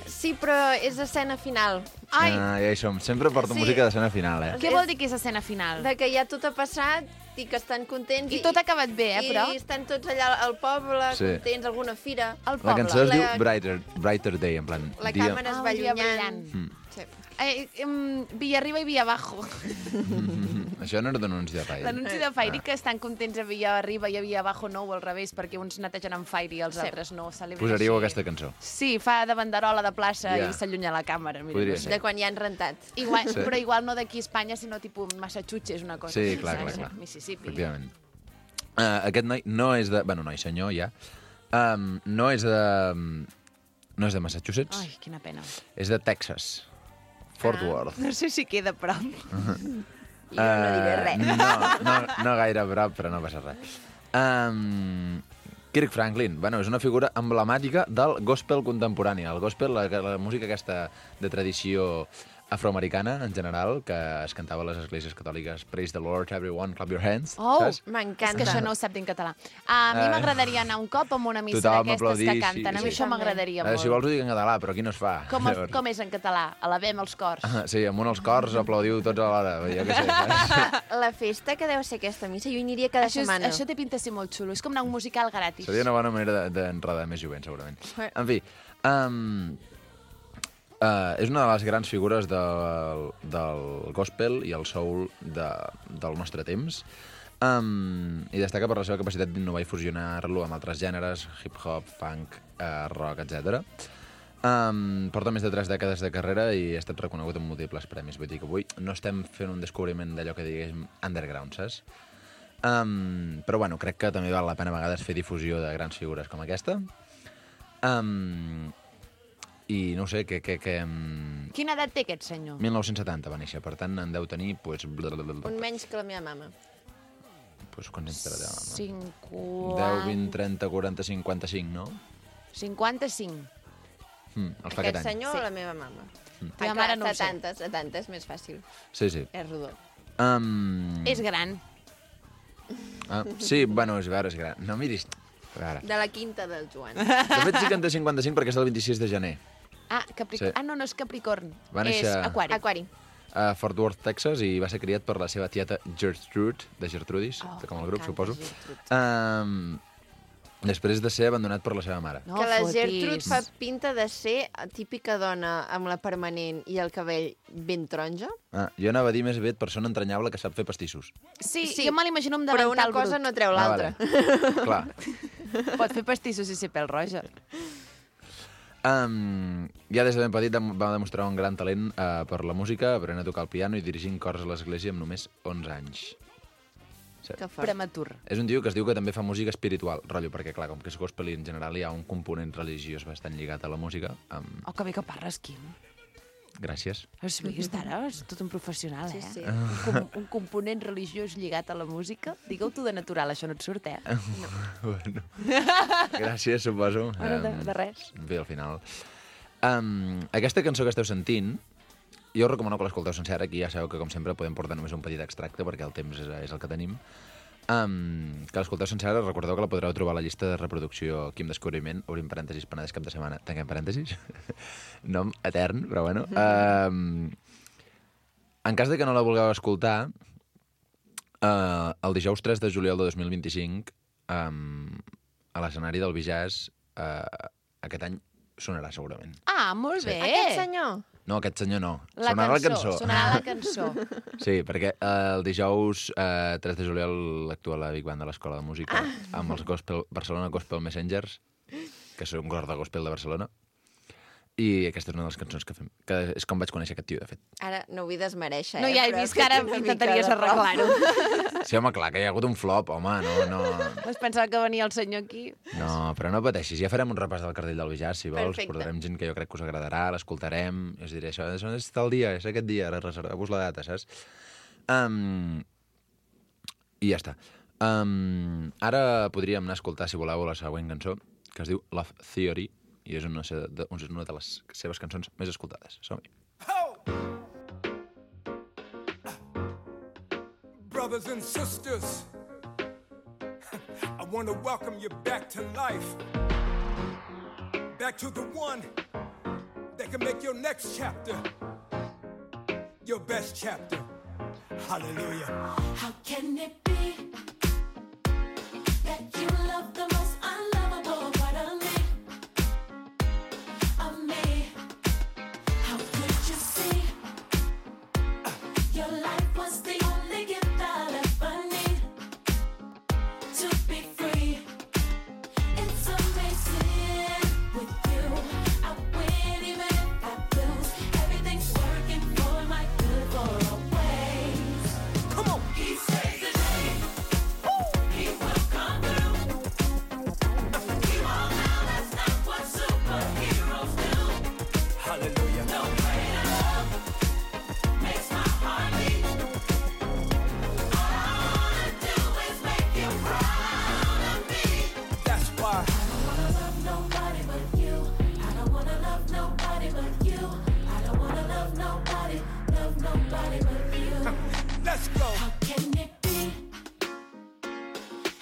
Sí, però és escena final. Ai, Ja hi som. Sempre porto Sí. música d'escena final, què vol dir que és escena final? De que ja tot ha passat i que estan contents. I tot ha acabat bé, però... I estan tots allà al poble, Sí. contents, alguna fira. Al La poble. cançó es diu La- Brighter Day, en plan... La dia... càmera es Ah, va un dia allunyant. brillant. Sí. Villa arriba i Villa abajo. Això no era d'anunci de Fire. L'anunci de Fairy que estan contents a Villa arriba i a Villa abajo no, o al revés, perquè uns netegen amb Fairy i els altres no. Celebren Posaríeu així. aquesta cançó. Sí, fa de banderola de plaça Ja. i s'allunya la càmera. Mira, Podria no sé. ser. De quan ja han rentat. Igual, Sí. Però igual no d'aquí a Espanya, sinó tipus Massachusetts, una cosa. Sí, així, clar, saps? clar. Mississippi. Efectivament. Aquest noi no és de... Bueno, noi, senyor, ja. No és de... No és de Massachusetts, Ai, quina pena. és de Texas. Fort Worth. No sé si queda a prop. I jo no diré res. No gaire a prop, però no passa res. Kirk Franklin, bueno, és una figura emblemàtica del gospel contemporani. El gospel, la música aquesta de tradició afroamericana, en general, que es cantava a les esglésies catòliques. Praise the Lord, everyone, clap your hands. Oh, saps? M'encanta. És que això no ho sap dir en català. A mi m'agradaria anar un cop amb una missa Tothom d'aquestes aplaudir, que canten. sí, A mi sí. això m'agradaria molt. Si vols ho dic en català, però aquí no es fa. Llavors. Com és en català? Alabem els cors. Sí, amb un als cors aplaudiu tots alhora. Jo què sé, saps? La festa que deu ser aquesta missa, jo hi aniria cada setmana. Això té pinta de ser molt xulo. És com anar a un musical gratis. Seria una bona manera d'enredar més jovent, segurament. En fi, és una de les grans figures del gospel i el soul del nostre temps. I destaca per la seva capacitat d'innovar i fusionar-lo amb altres gèneres, hip-hop, funk, rock, etc. Porta més de 3 dècades de carrera i ha estat reconegut amb múltiples premis. Vull dir que avui no estem fent un descobriment d'allò que diguéssim underground, saps? Però bueno, crec que també val la pena a vegades fer difusió de grans figures com aquesta. I no ho sé, Quina edat té aquest senyor? 1970 va néixer, per tant en deu tenir pues, Un menys que la meva mama. pues, quants anys té la teva mama? 50... 10, 20, 30, 40, 55, no? 55. Els fa Aquest aquest any. senyor Sí. o la meva mama? Teva mare no ho sé. 70 és més fàcil. Sí, sí. És rodó. És gran. Sí, bueno, és gran. No miris... A veure. De la quinta del Joan. De fet, sí que en té 55 perquè és el 26 de gener. Capricorn. Sí. No és Capricorn. Va néixer- És Aquari. Aquari. A Fort Worth, Texas, i va ser criat per la seva tieta Gertrude, de Gertrudis, com el grup, m'encanta suposo. Gertrude. Després de ser abandonat per la seva mare. No Que la fotis. Gertrude fa pinta de ser típica dona amb la permanent i el cabell ben taronja. Jo anava a dir més aviat persona entranyable que sap fer pastissos. Sí, Sí, jo me l'imagino amb Però una davantal cosa brut. no treu l'altra. Vale. Clar. Pot fer pastissos i ser pèl roja. Ja des de ben petit va demostrar un gran talent per la música, aprenent a tocar el piano i dirigint cors a l'església amb només 11 anys. Que fort. Prematur. És un tio que es diu que també fa música espiritual, rotllo, perquè clar, com que és gospel i en general hi ha un component religiós bastant lligat a la música. Oh, que bé que parles, Quim. Gràcies. Has vist ara? És tot un professional, Sí, eh? sí. Un component religiós lligat a la música. Digue-ho tu de natural, això no et surt, eh? Bueno. Gràcies, suposo. Bueno, de res. Bé, al final. Aquesta cançó que esteu sentint, jo us recomano que l'escolteu sencera. Aquí ja sabeu que, com sempre, podem portar només un petit extracte, perquè el temps és el que tenim. Que l'escolteu sencera, recordeu que la podreu trobar a la llista de reproducció Quim Descobriment, obrim parèntesis, Penedès cap de setmana, tanquem parèntesis. Nom etern, però bueno. En cas de que no la vulgueu escoltar, el dijous 3 de juliol de 2025, a l'escenari del Bijàs, aquest any sonarà segurament. Ah, molt bé. Aquest senyor. No, aquest senyor no. La Sonarà la cançó. Sonarà la cançó. Sí, perquè el dijous 3 de juliol actua la Big Band de l'Escola de Música amb els Barcelona Gospel Messengers, que són un cor de gospel de Barcelona. I aquesta és una de les cançons que fem, que és com vaig conèixer aquest tio, de fet. Ara no vull desmereixer, No, ja he però vist que ara fet una intentaries mica de prou. arreglar-ho. Sí, home, clar, que hi ha hagut un flop, home, no... Vas pensar que venia el senyor aquí? No, però no pateixis, ja farem un repàs del cartell del Bijàs, si vols, Perfecte. portarem gent que jo crec que us agradarà, l'escoltarem, i us diré, això és tal dia, és aquest dia, ara reserveu-vos la data, saps? I ja està. Ara podríem anar a escoltar, si voleu, la següent cançó, que es diu Love Theory, i és una de les seves cançons més escoltades. Som-hi. Brothers and sisters, I want to welcome you back to life. Back to the one that can make your next chapter your best chapter. Hallelujah. How can it be that you love the most unlovable part of me? Of me? How could you see your life was the only gift I'll ever need to be free? It's amazing with you. I win even if I lose. Everything's working for my good for always. Come on. He saves the day. He will come through. He won't now, that's not what superheroes do. Hallelujah. No greater love makes my heart beat. All I wanna do is make you proud of me. That's why. I don't wanna love nobody but you. I don't wanna love nobody but you. I don't wanna love nobody but you. Let's go. How can it be?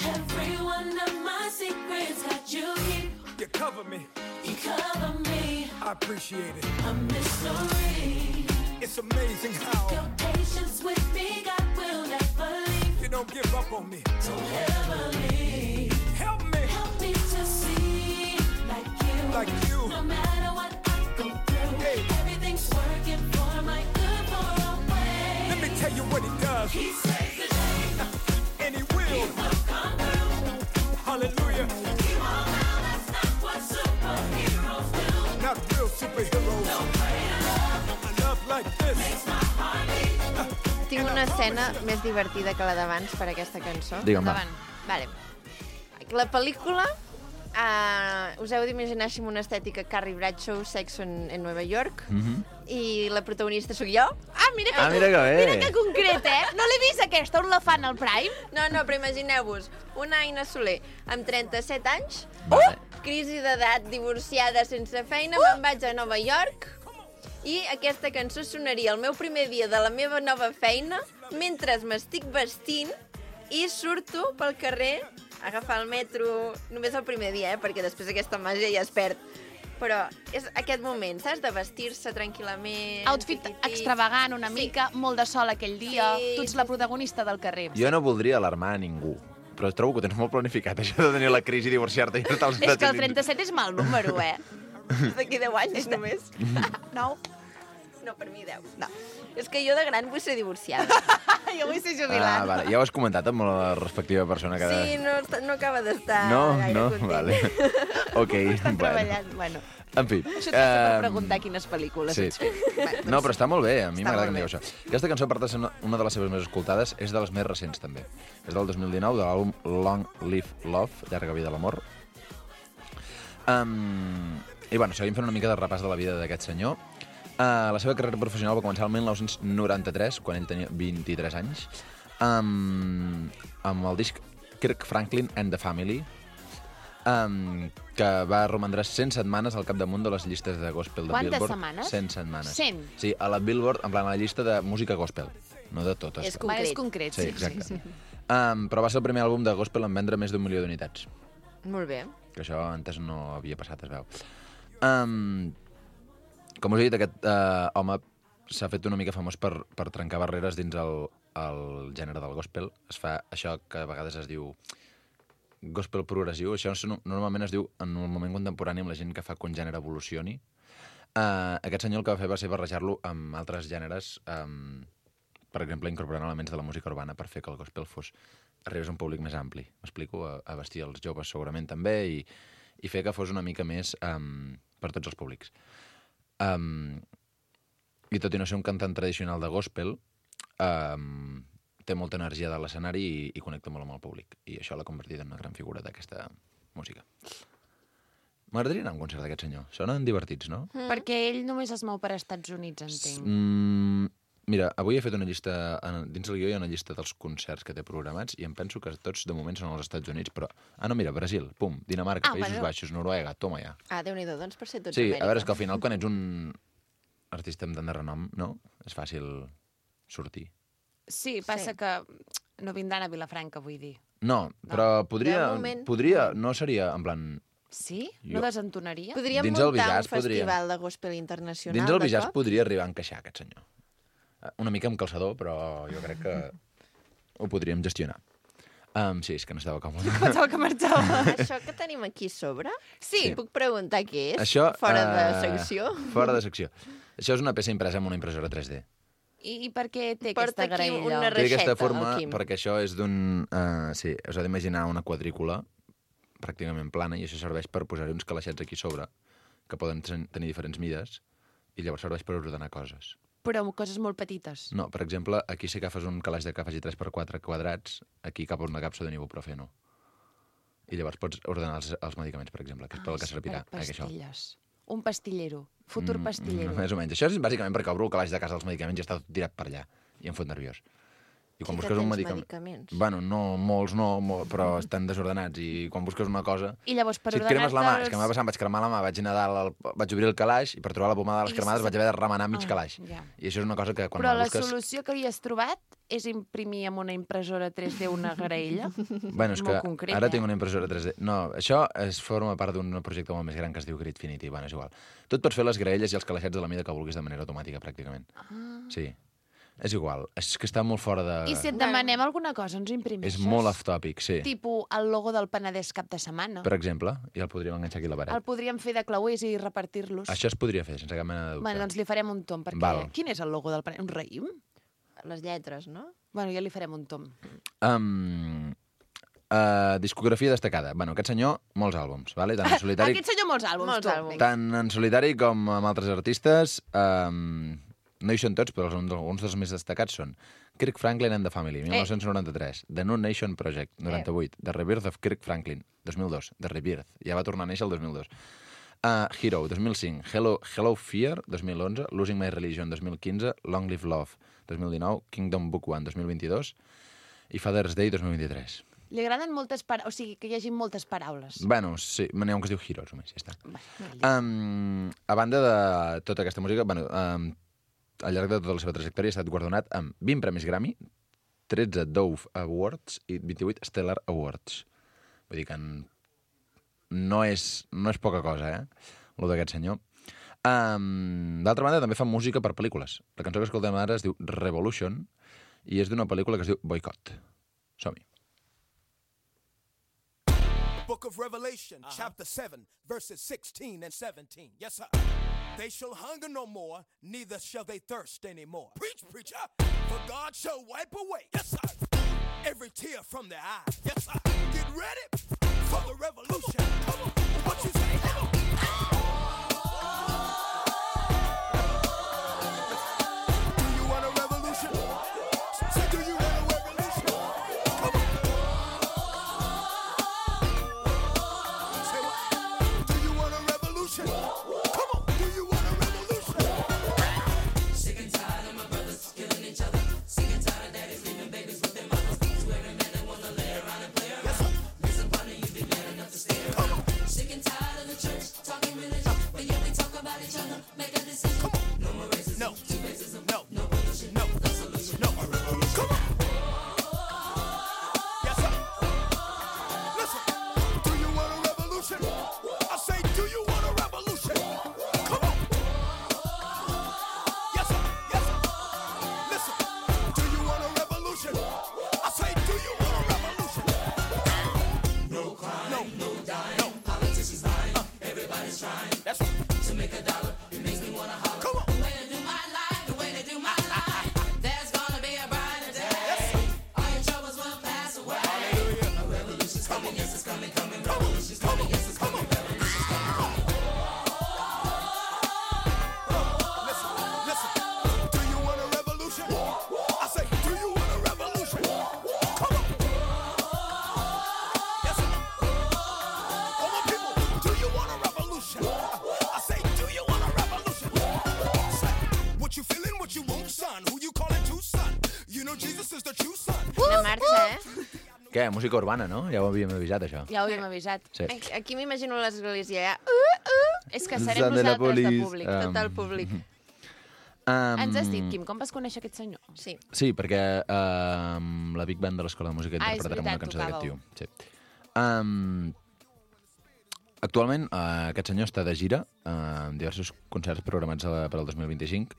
Every one of my secrets that you keep, You cover me. you cover me. I appreciate it. A mystery. It's amazing how Your patience with me, God will never leave. you don't give up on me. Don't ever leave. Help me. Help me to see like you. No matter what I go through, Hey. everything's working for my good for always. Let me tell you what he does. He saves the day. And he will. Come through. Hallelujah. You all know that's not what superheroes do. Not real superheroes. A love like this. My heart beat. Tinc una escena més divertida que la d'abans per aquesta cançó. Digue'm, va. Vale. La pel·lícula, us heu d'imaginar així amb una estètica Carrie Bradshaw, Sex en Nova York, i la protagonista sóc jo. Mira Ah, mira que bé. Mira que concret, eh? No l'he vist aquesta, on la fan al Prime? No, però imagineu-vos, una Aina Soler amb 37 anys, Vale. crisi d'edat, divorciada, sense feina, me'n vaig a Nova York, i aquesta cançó sonaria el meu primer dia de la meva nova feina, mentre m'estic vestint I surto pel carrer a agafar el metro només el primer dia, perquè després aquesta màgia ja es perd. Però és aquest moment, saps? De vestir-se tranquil·lament. Outfit extravagant una mica, molt de sol aquell dia. Sí. Tu ets la protagonista del carrer. Jo no voldria alarmar a ningú, però trobo que ho tens molt planificat, això de tenir la crisi, divorciar-te i estar als És que Estats el 37 és mal número, D'aquí 10 anys només. No. No, per mi 10. No. És que jo de gran vull ser divorciada. Jo vull ser jubilat. Vale. Ja ho has comentat amb la respectiva persona que... Sí, no acaba d'estar gaire content. Vale. Ok, Estan bueno. treballant, bueno. En fi. Això t'ho per preguntar quines pel·lícules Sí. ets fet. Bueno, No, però està molt bé, a mi Està m'agrada molt que em digueu això. Aquesta cançó, a part de ser una de les seves més escoltades, és de les més recents, també. És del 2019, de l'àlbum Long Live Love, Llarga vida l'amor. I, bueno, seguim fent una mica de repàs de la vida d'aquest senyor. La seva carrera professional va començar el 1993, quan ell tenia 23 anys, amb el disc Kirk Franklin and the Family, que va romandre 100 setmanes al capdamunt de les llistes de gospel de Quantes Billboard. setmanes? 100 setmanes. 100? Sí, a la Billboard, en plan a la llista de música gospel, no de totes. És Va, és concret. concret, Sí, exacte. Però va ser el primer àlbum de gospel en vendre més d'1 milió d'unitats. Molt bé. Que això antes no havia passat, es veu. Com us he dit, aquest home s'ha fet una mica famós per trencar barreres dins el gènere del gospel. Es fa això que a vegades es diu gospel progressiu. Això normalment es diu en un moment contemporani amb la gent que fa que un gènere evolucioni. Aquest senyor el que va fer va ser barrejar-lo amb altres gèneres, per exemple, incorporant elements de la música urbana per fer que el gospel arribés a un públic més ampli. M'explico? A vestir els joves segurament també i fer que fos una mica més per tots els públics. I tot i no ser un cantant tradicional de gospel, té molta energia de l'escenari i connecta molt amb el públic. I això l'ha convertit en una gran figura d'aquesta música. M'agradaria anar a un concert d'aquest senyor. Sonen divertits, no? Perquè ell només es mou per Estats Units, entenc. Mira, avui he fet una llista, dins el guió hi ha una llista dels concerts que té programats i em penso que tots de moment són als Estats Units, però... no, mira, Brasil, pum, Dinamarca, Països Baixos, Noruega, toma ja. Déu-n'hi-do, doncs per ser tots Sí, Amèrica. a veure, és que al final quan ets un artista amb tant de renom, no? És fàcil sortir. Sí, passa que no vindran a Vilafranca, vull dir. No, però De moment. podria, no seria en plan... Sí? Jo- No desentonaria? Podríem Dins el muntar Visage un festival de gospel internacional, Dins el de Visage cop? podria arribar a encaixar, aquest senyor. Una mica amb calçador, però jo crec que ho podríem gestionar. Sí, és que no estava còmode. Pensava que marxava. Això que tenim aquí a sobre, Sí. puc preguntar què és? Això, Fora de secció? Fora de secció. Això és una peça impresa amb una impressora 3D. I per què té Porta aquesta aquí graella? una Té aquesta reixeta, forma el Quim. perquè això és d'un... sí, us heu d'imaginar una quadrícula pràcticament plana i això serveix per posar-hi uns calaixets aquí sobre que poden tenir diferents mides i llavors serveix per ordenar coses. Però amb coses molt petites. No, per exemple, aquí si agafes un calaix de que faci 3x4 quadrats, aquí cap a una capsa de ibuprofeno. I llavors pots ordenar els medicaments, per exemple, que és pel que servirà. Per això. pastilles. Un pastillero. Futur pastillero. Més o menys. Això és bàsicament perquè obro el calaix de casa dels medicaments i està tot tirat per allà. I em fot nerviós. I quan Sí que busques un tens medicament... medicaments. Bueno, no, molts no, però estan desordenats. I quan busques una cosa... I llavors, per si et cremes la mà, ordenar-te'ls- és que m'ha passat, em vaig cremar la mà, vaig anar a dalt, vaig obrir el calaix i per trobar la pomada de les I cremades se- vaig haver de remenar mig calaix. ja. I això és una cosa que quan Però la la busques... solució que havies trobat és imprimir amb una impressora 3D una graella? Bueno, és que Molt concret, ara tinc una impressora 3D. No, això forma part d'un projecte molt més gran que es diu Gridfinity. Bueno, és igual. Tu et pots fer les graelles i els calaixets de la mida que vulguis de manera automàtica, pràcticament. Sí. És igual. És que està molt fora de... I si et demanem alguna cosa, ens imprimeixes? És molt off-topic, sí. Tipo el logo del Penedès cap de setmana. Per exemple, i el podríem enganxar aquí a la paret. El podríem fer de clauers i repartir-los. Això es podria fer, sense cap mena de dubte. Bueno, doncs li farem un tom, perquè... Val. Quin és el logo del Penedès? Un raïm? Les lletres, no? Bueno, ja li farem un tom. Discografia destacada. Bueno, aquest senyor, molts àlbums, vale? Tant en solitari, Aquest senyor molts àlbums, Molts tu. àlbums. Vinga. tant en solitari com amb altres artistes. No hi són tots, però alguns dels més destacats són Kirk Franklin and the Family, 1993, The New Nation Project, 98, The Rebirth of Kirk Franklin, 2002, The Rebirth, ja va tornar a néixer el 2002. Hero, 2005, Hello Fear, 2011, Losing My Religion, 2015, Long Live Love, 2019, Kingdom Book 1, 2022 i Father's Day, 2023. Li agraden moltes paraules, o sigui, que hi hagi moltes paraules. Bueno, sí, n'hi ha un que es diu Heroes, només, ja està. Vale, A banda de tota aquesta música, bueno, al llarg de tota la seva trajectòria ha estat guardonat amb 20 premis Grammy, 13 Dove Awards i 28 Stellar Awards. Vull dir que no és poca cosa, lo d'aquest senyor. D'altra banda, també fa música per pel·lícules. La cançó que escoltem ara es diu Revolution i és d'una pel·lícula que es diu Boycott. Som-hi. Book of Revelation, chapter 7, verses 16 and 17. Yes, sir. They shall hunger no more, neither shall they thirst anymore. Preach, preacher, for God shall wipe away, yes, sir, every tear from their eye. Yes, sir. Get ready for the revolution. Come on. What you say? Come on. Do you want a revolution? Say, do you want a revolution? Come on. Say what? Do you want a revolution? Come on. Do you want a revolution? Sick and tired of my brothers killing each other. Sick and tired of daddies leaving babies with their mothers. Swearing men that wanna lay around and play around. Miss a partner, you've been man enough to stay around. Sick and tired of the church talking religion, but yet we talk about each other. Make a decision. No more racism. No. Two racism. No. No pollution. No. No solution. No. A revolution. Come on. Yes, sir. Listen. Do you want a revolution? I say, do you want a revolution? Come on. Yes, sir. Yes, sir. Listen. Do you want a revolution? I say, do you want a revolution? No crime. No. No dying. No. Politicians lying. Everybody's trying. That's right. To make a dollar, it makes me wanna holler. Come on. The way to do my life, the way to do my life. There's gonna be a brighter day. All your troubles will pass away. A revolution's coming, yes, it's coming, coming. Revolution's coming, yes, it's coming. Revolution's coming. Listen. Listen. Do you want a revolution? I say, do you want a revolution? Come on. Yes, sir. All my people, do you want a revolution? I say, do you want a revolution? Say, what you feeling, what you want, son? Who you calling to, son? You know Jesus is the true son. Una marxa, Què? Música urbana, no? Ja ho havíem avisat, això. Ja ho havíem avisat. Sí. Aquí m'imagino l'església, ja. És que serem Zone de la nosaltres de polis. públic. Tot el públic. Ens has dit, Quim, com vas conèixer aquest senyor? Sí. Sí, perquè la Big Band de l'Escola de Música Ah, és interpretarà una veritat, cançó d'aquest tio. tocàveu. Sí. Actualment, aquest senyor està de gira amb diversos concerts programats per al 2025.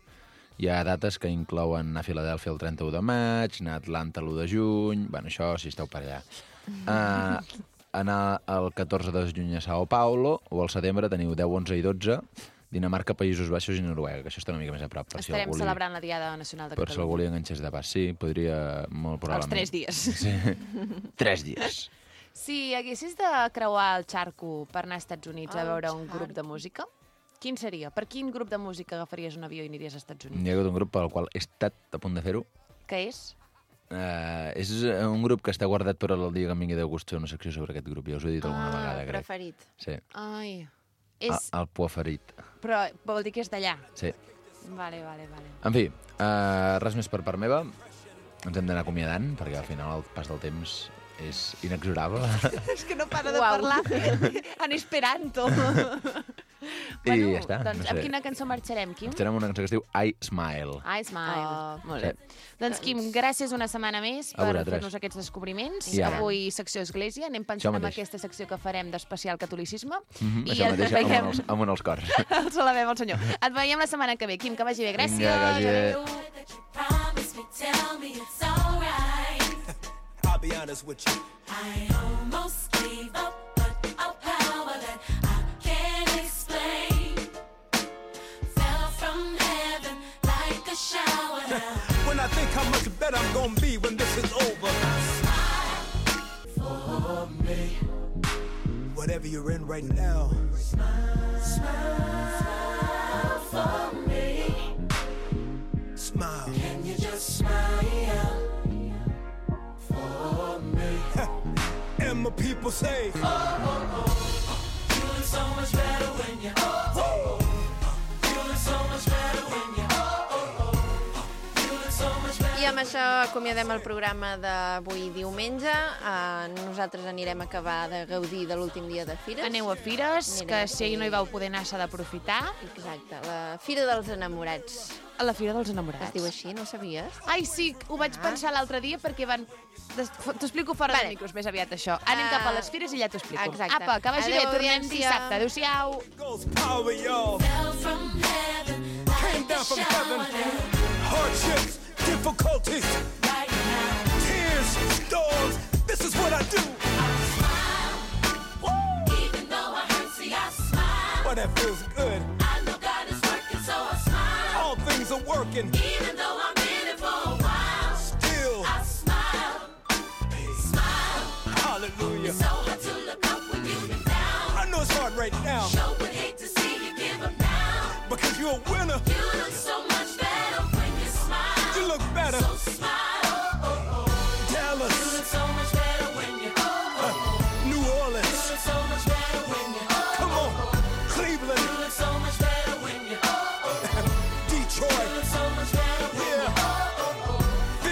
Hi ha dates que inclouen anar a Filadèlfia el 31 de maig, anar a Atlanta l'1 de juny... Bueno, això si esteu per allà. Anar el 14 de juny a Sao Paulo, o al setembre teniu 10, 11 i 12, Dinamarca, Països Baixos i Noruega, que això està una mica més a prop. Per Estarem si algú celebrant la Diada Nacional de per si algú li Catalunya. enganxés de pas. Sí, podria molt Els probablement. 3 dies. Sí, 3 dies. Si haguessis de creuar el xarco per anar als Estats Units a veure un grup de música, quin seria? Per quin grup de música agafaries un avió i aniries als Estats Units? Hi ha hagut un grup pel qual he estat a punt de fer-ho. Què és? És un grup que està guardat per el dia que em vingui de gust fer una secció sobre aquest grup. Ja us ho he dit alguna vegada, crec. Preferit. Sí. Ai, és... El Poaferit. Però vol dir que és d'allà. Sí. Vale. En fi, res més per part meva. Ens hem d'anar acomiadant, perquè al final el pas del temps és inexorable. És que no para de Uau. parlar en esperanto. I ja està. Doncs no sé. amb quina cançó marxarem, Quim? Estarem una cançó que es diu I Smile. I Smile. Molt bé. Sí. Doncs, Quim, gràcies una setmana més A per vosaltres. fer-nos aquests descobriments. I ara. Avui secció Església. Anem pensant en mateix. aquesta secció que farem d'especial catolicisme. Això ens mateix, veiem... amunt els cors. Els alabem al senyor. Et veiem la setmana que ve. Quim, que vagi bé. Gràcies. Vinga, que vagi bé. Adéu. Promise me, tell me it's alright. I'll be honest with you. I almost gave up, but a power that I can't explain fell from heaven like a shower now. When I think how much better I'm gonna be when this is over. For me, Whatever you're in right now, smile for me. smile. Can you just smile for me? And my people say, You look so much better when you. You look so much better when you. You look so much better. I amb això acomiadem el programa d'avui diumenge. Nosaltres anirem a acabar de gaudir de l'últim dia de Fires. Aneu a Fires, que si ahir no hi vau poder anar s'ha d'aprofitar. Exacte, la Fira dels Enamorats. A la Fira dels Es Enamorats. diu així, no ho sabies? Ai, sí, ho vaig pensar l'altre dia perquè van... T'explico fora de micros més aviat, això. Anem cap a les fires i ja t'ho explico. Exacte. Apa, que vagi bé, Adéu, tornem audiència. dissabte. Adéu-siau. Goes power, y'all. Fell from heaven, Came down from heaven. Hardships, difficulties, right now. tears, storms. This is what I do. Even though I hurt, see, I smile. But that feels good. I know God is working, so I smile. All things are working.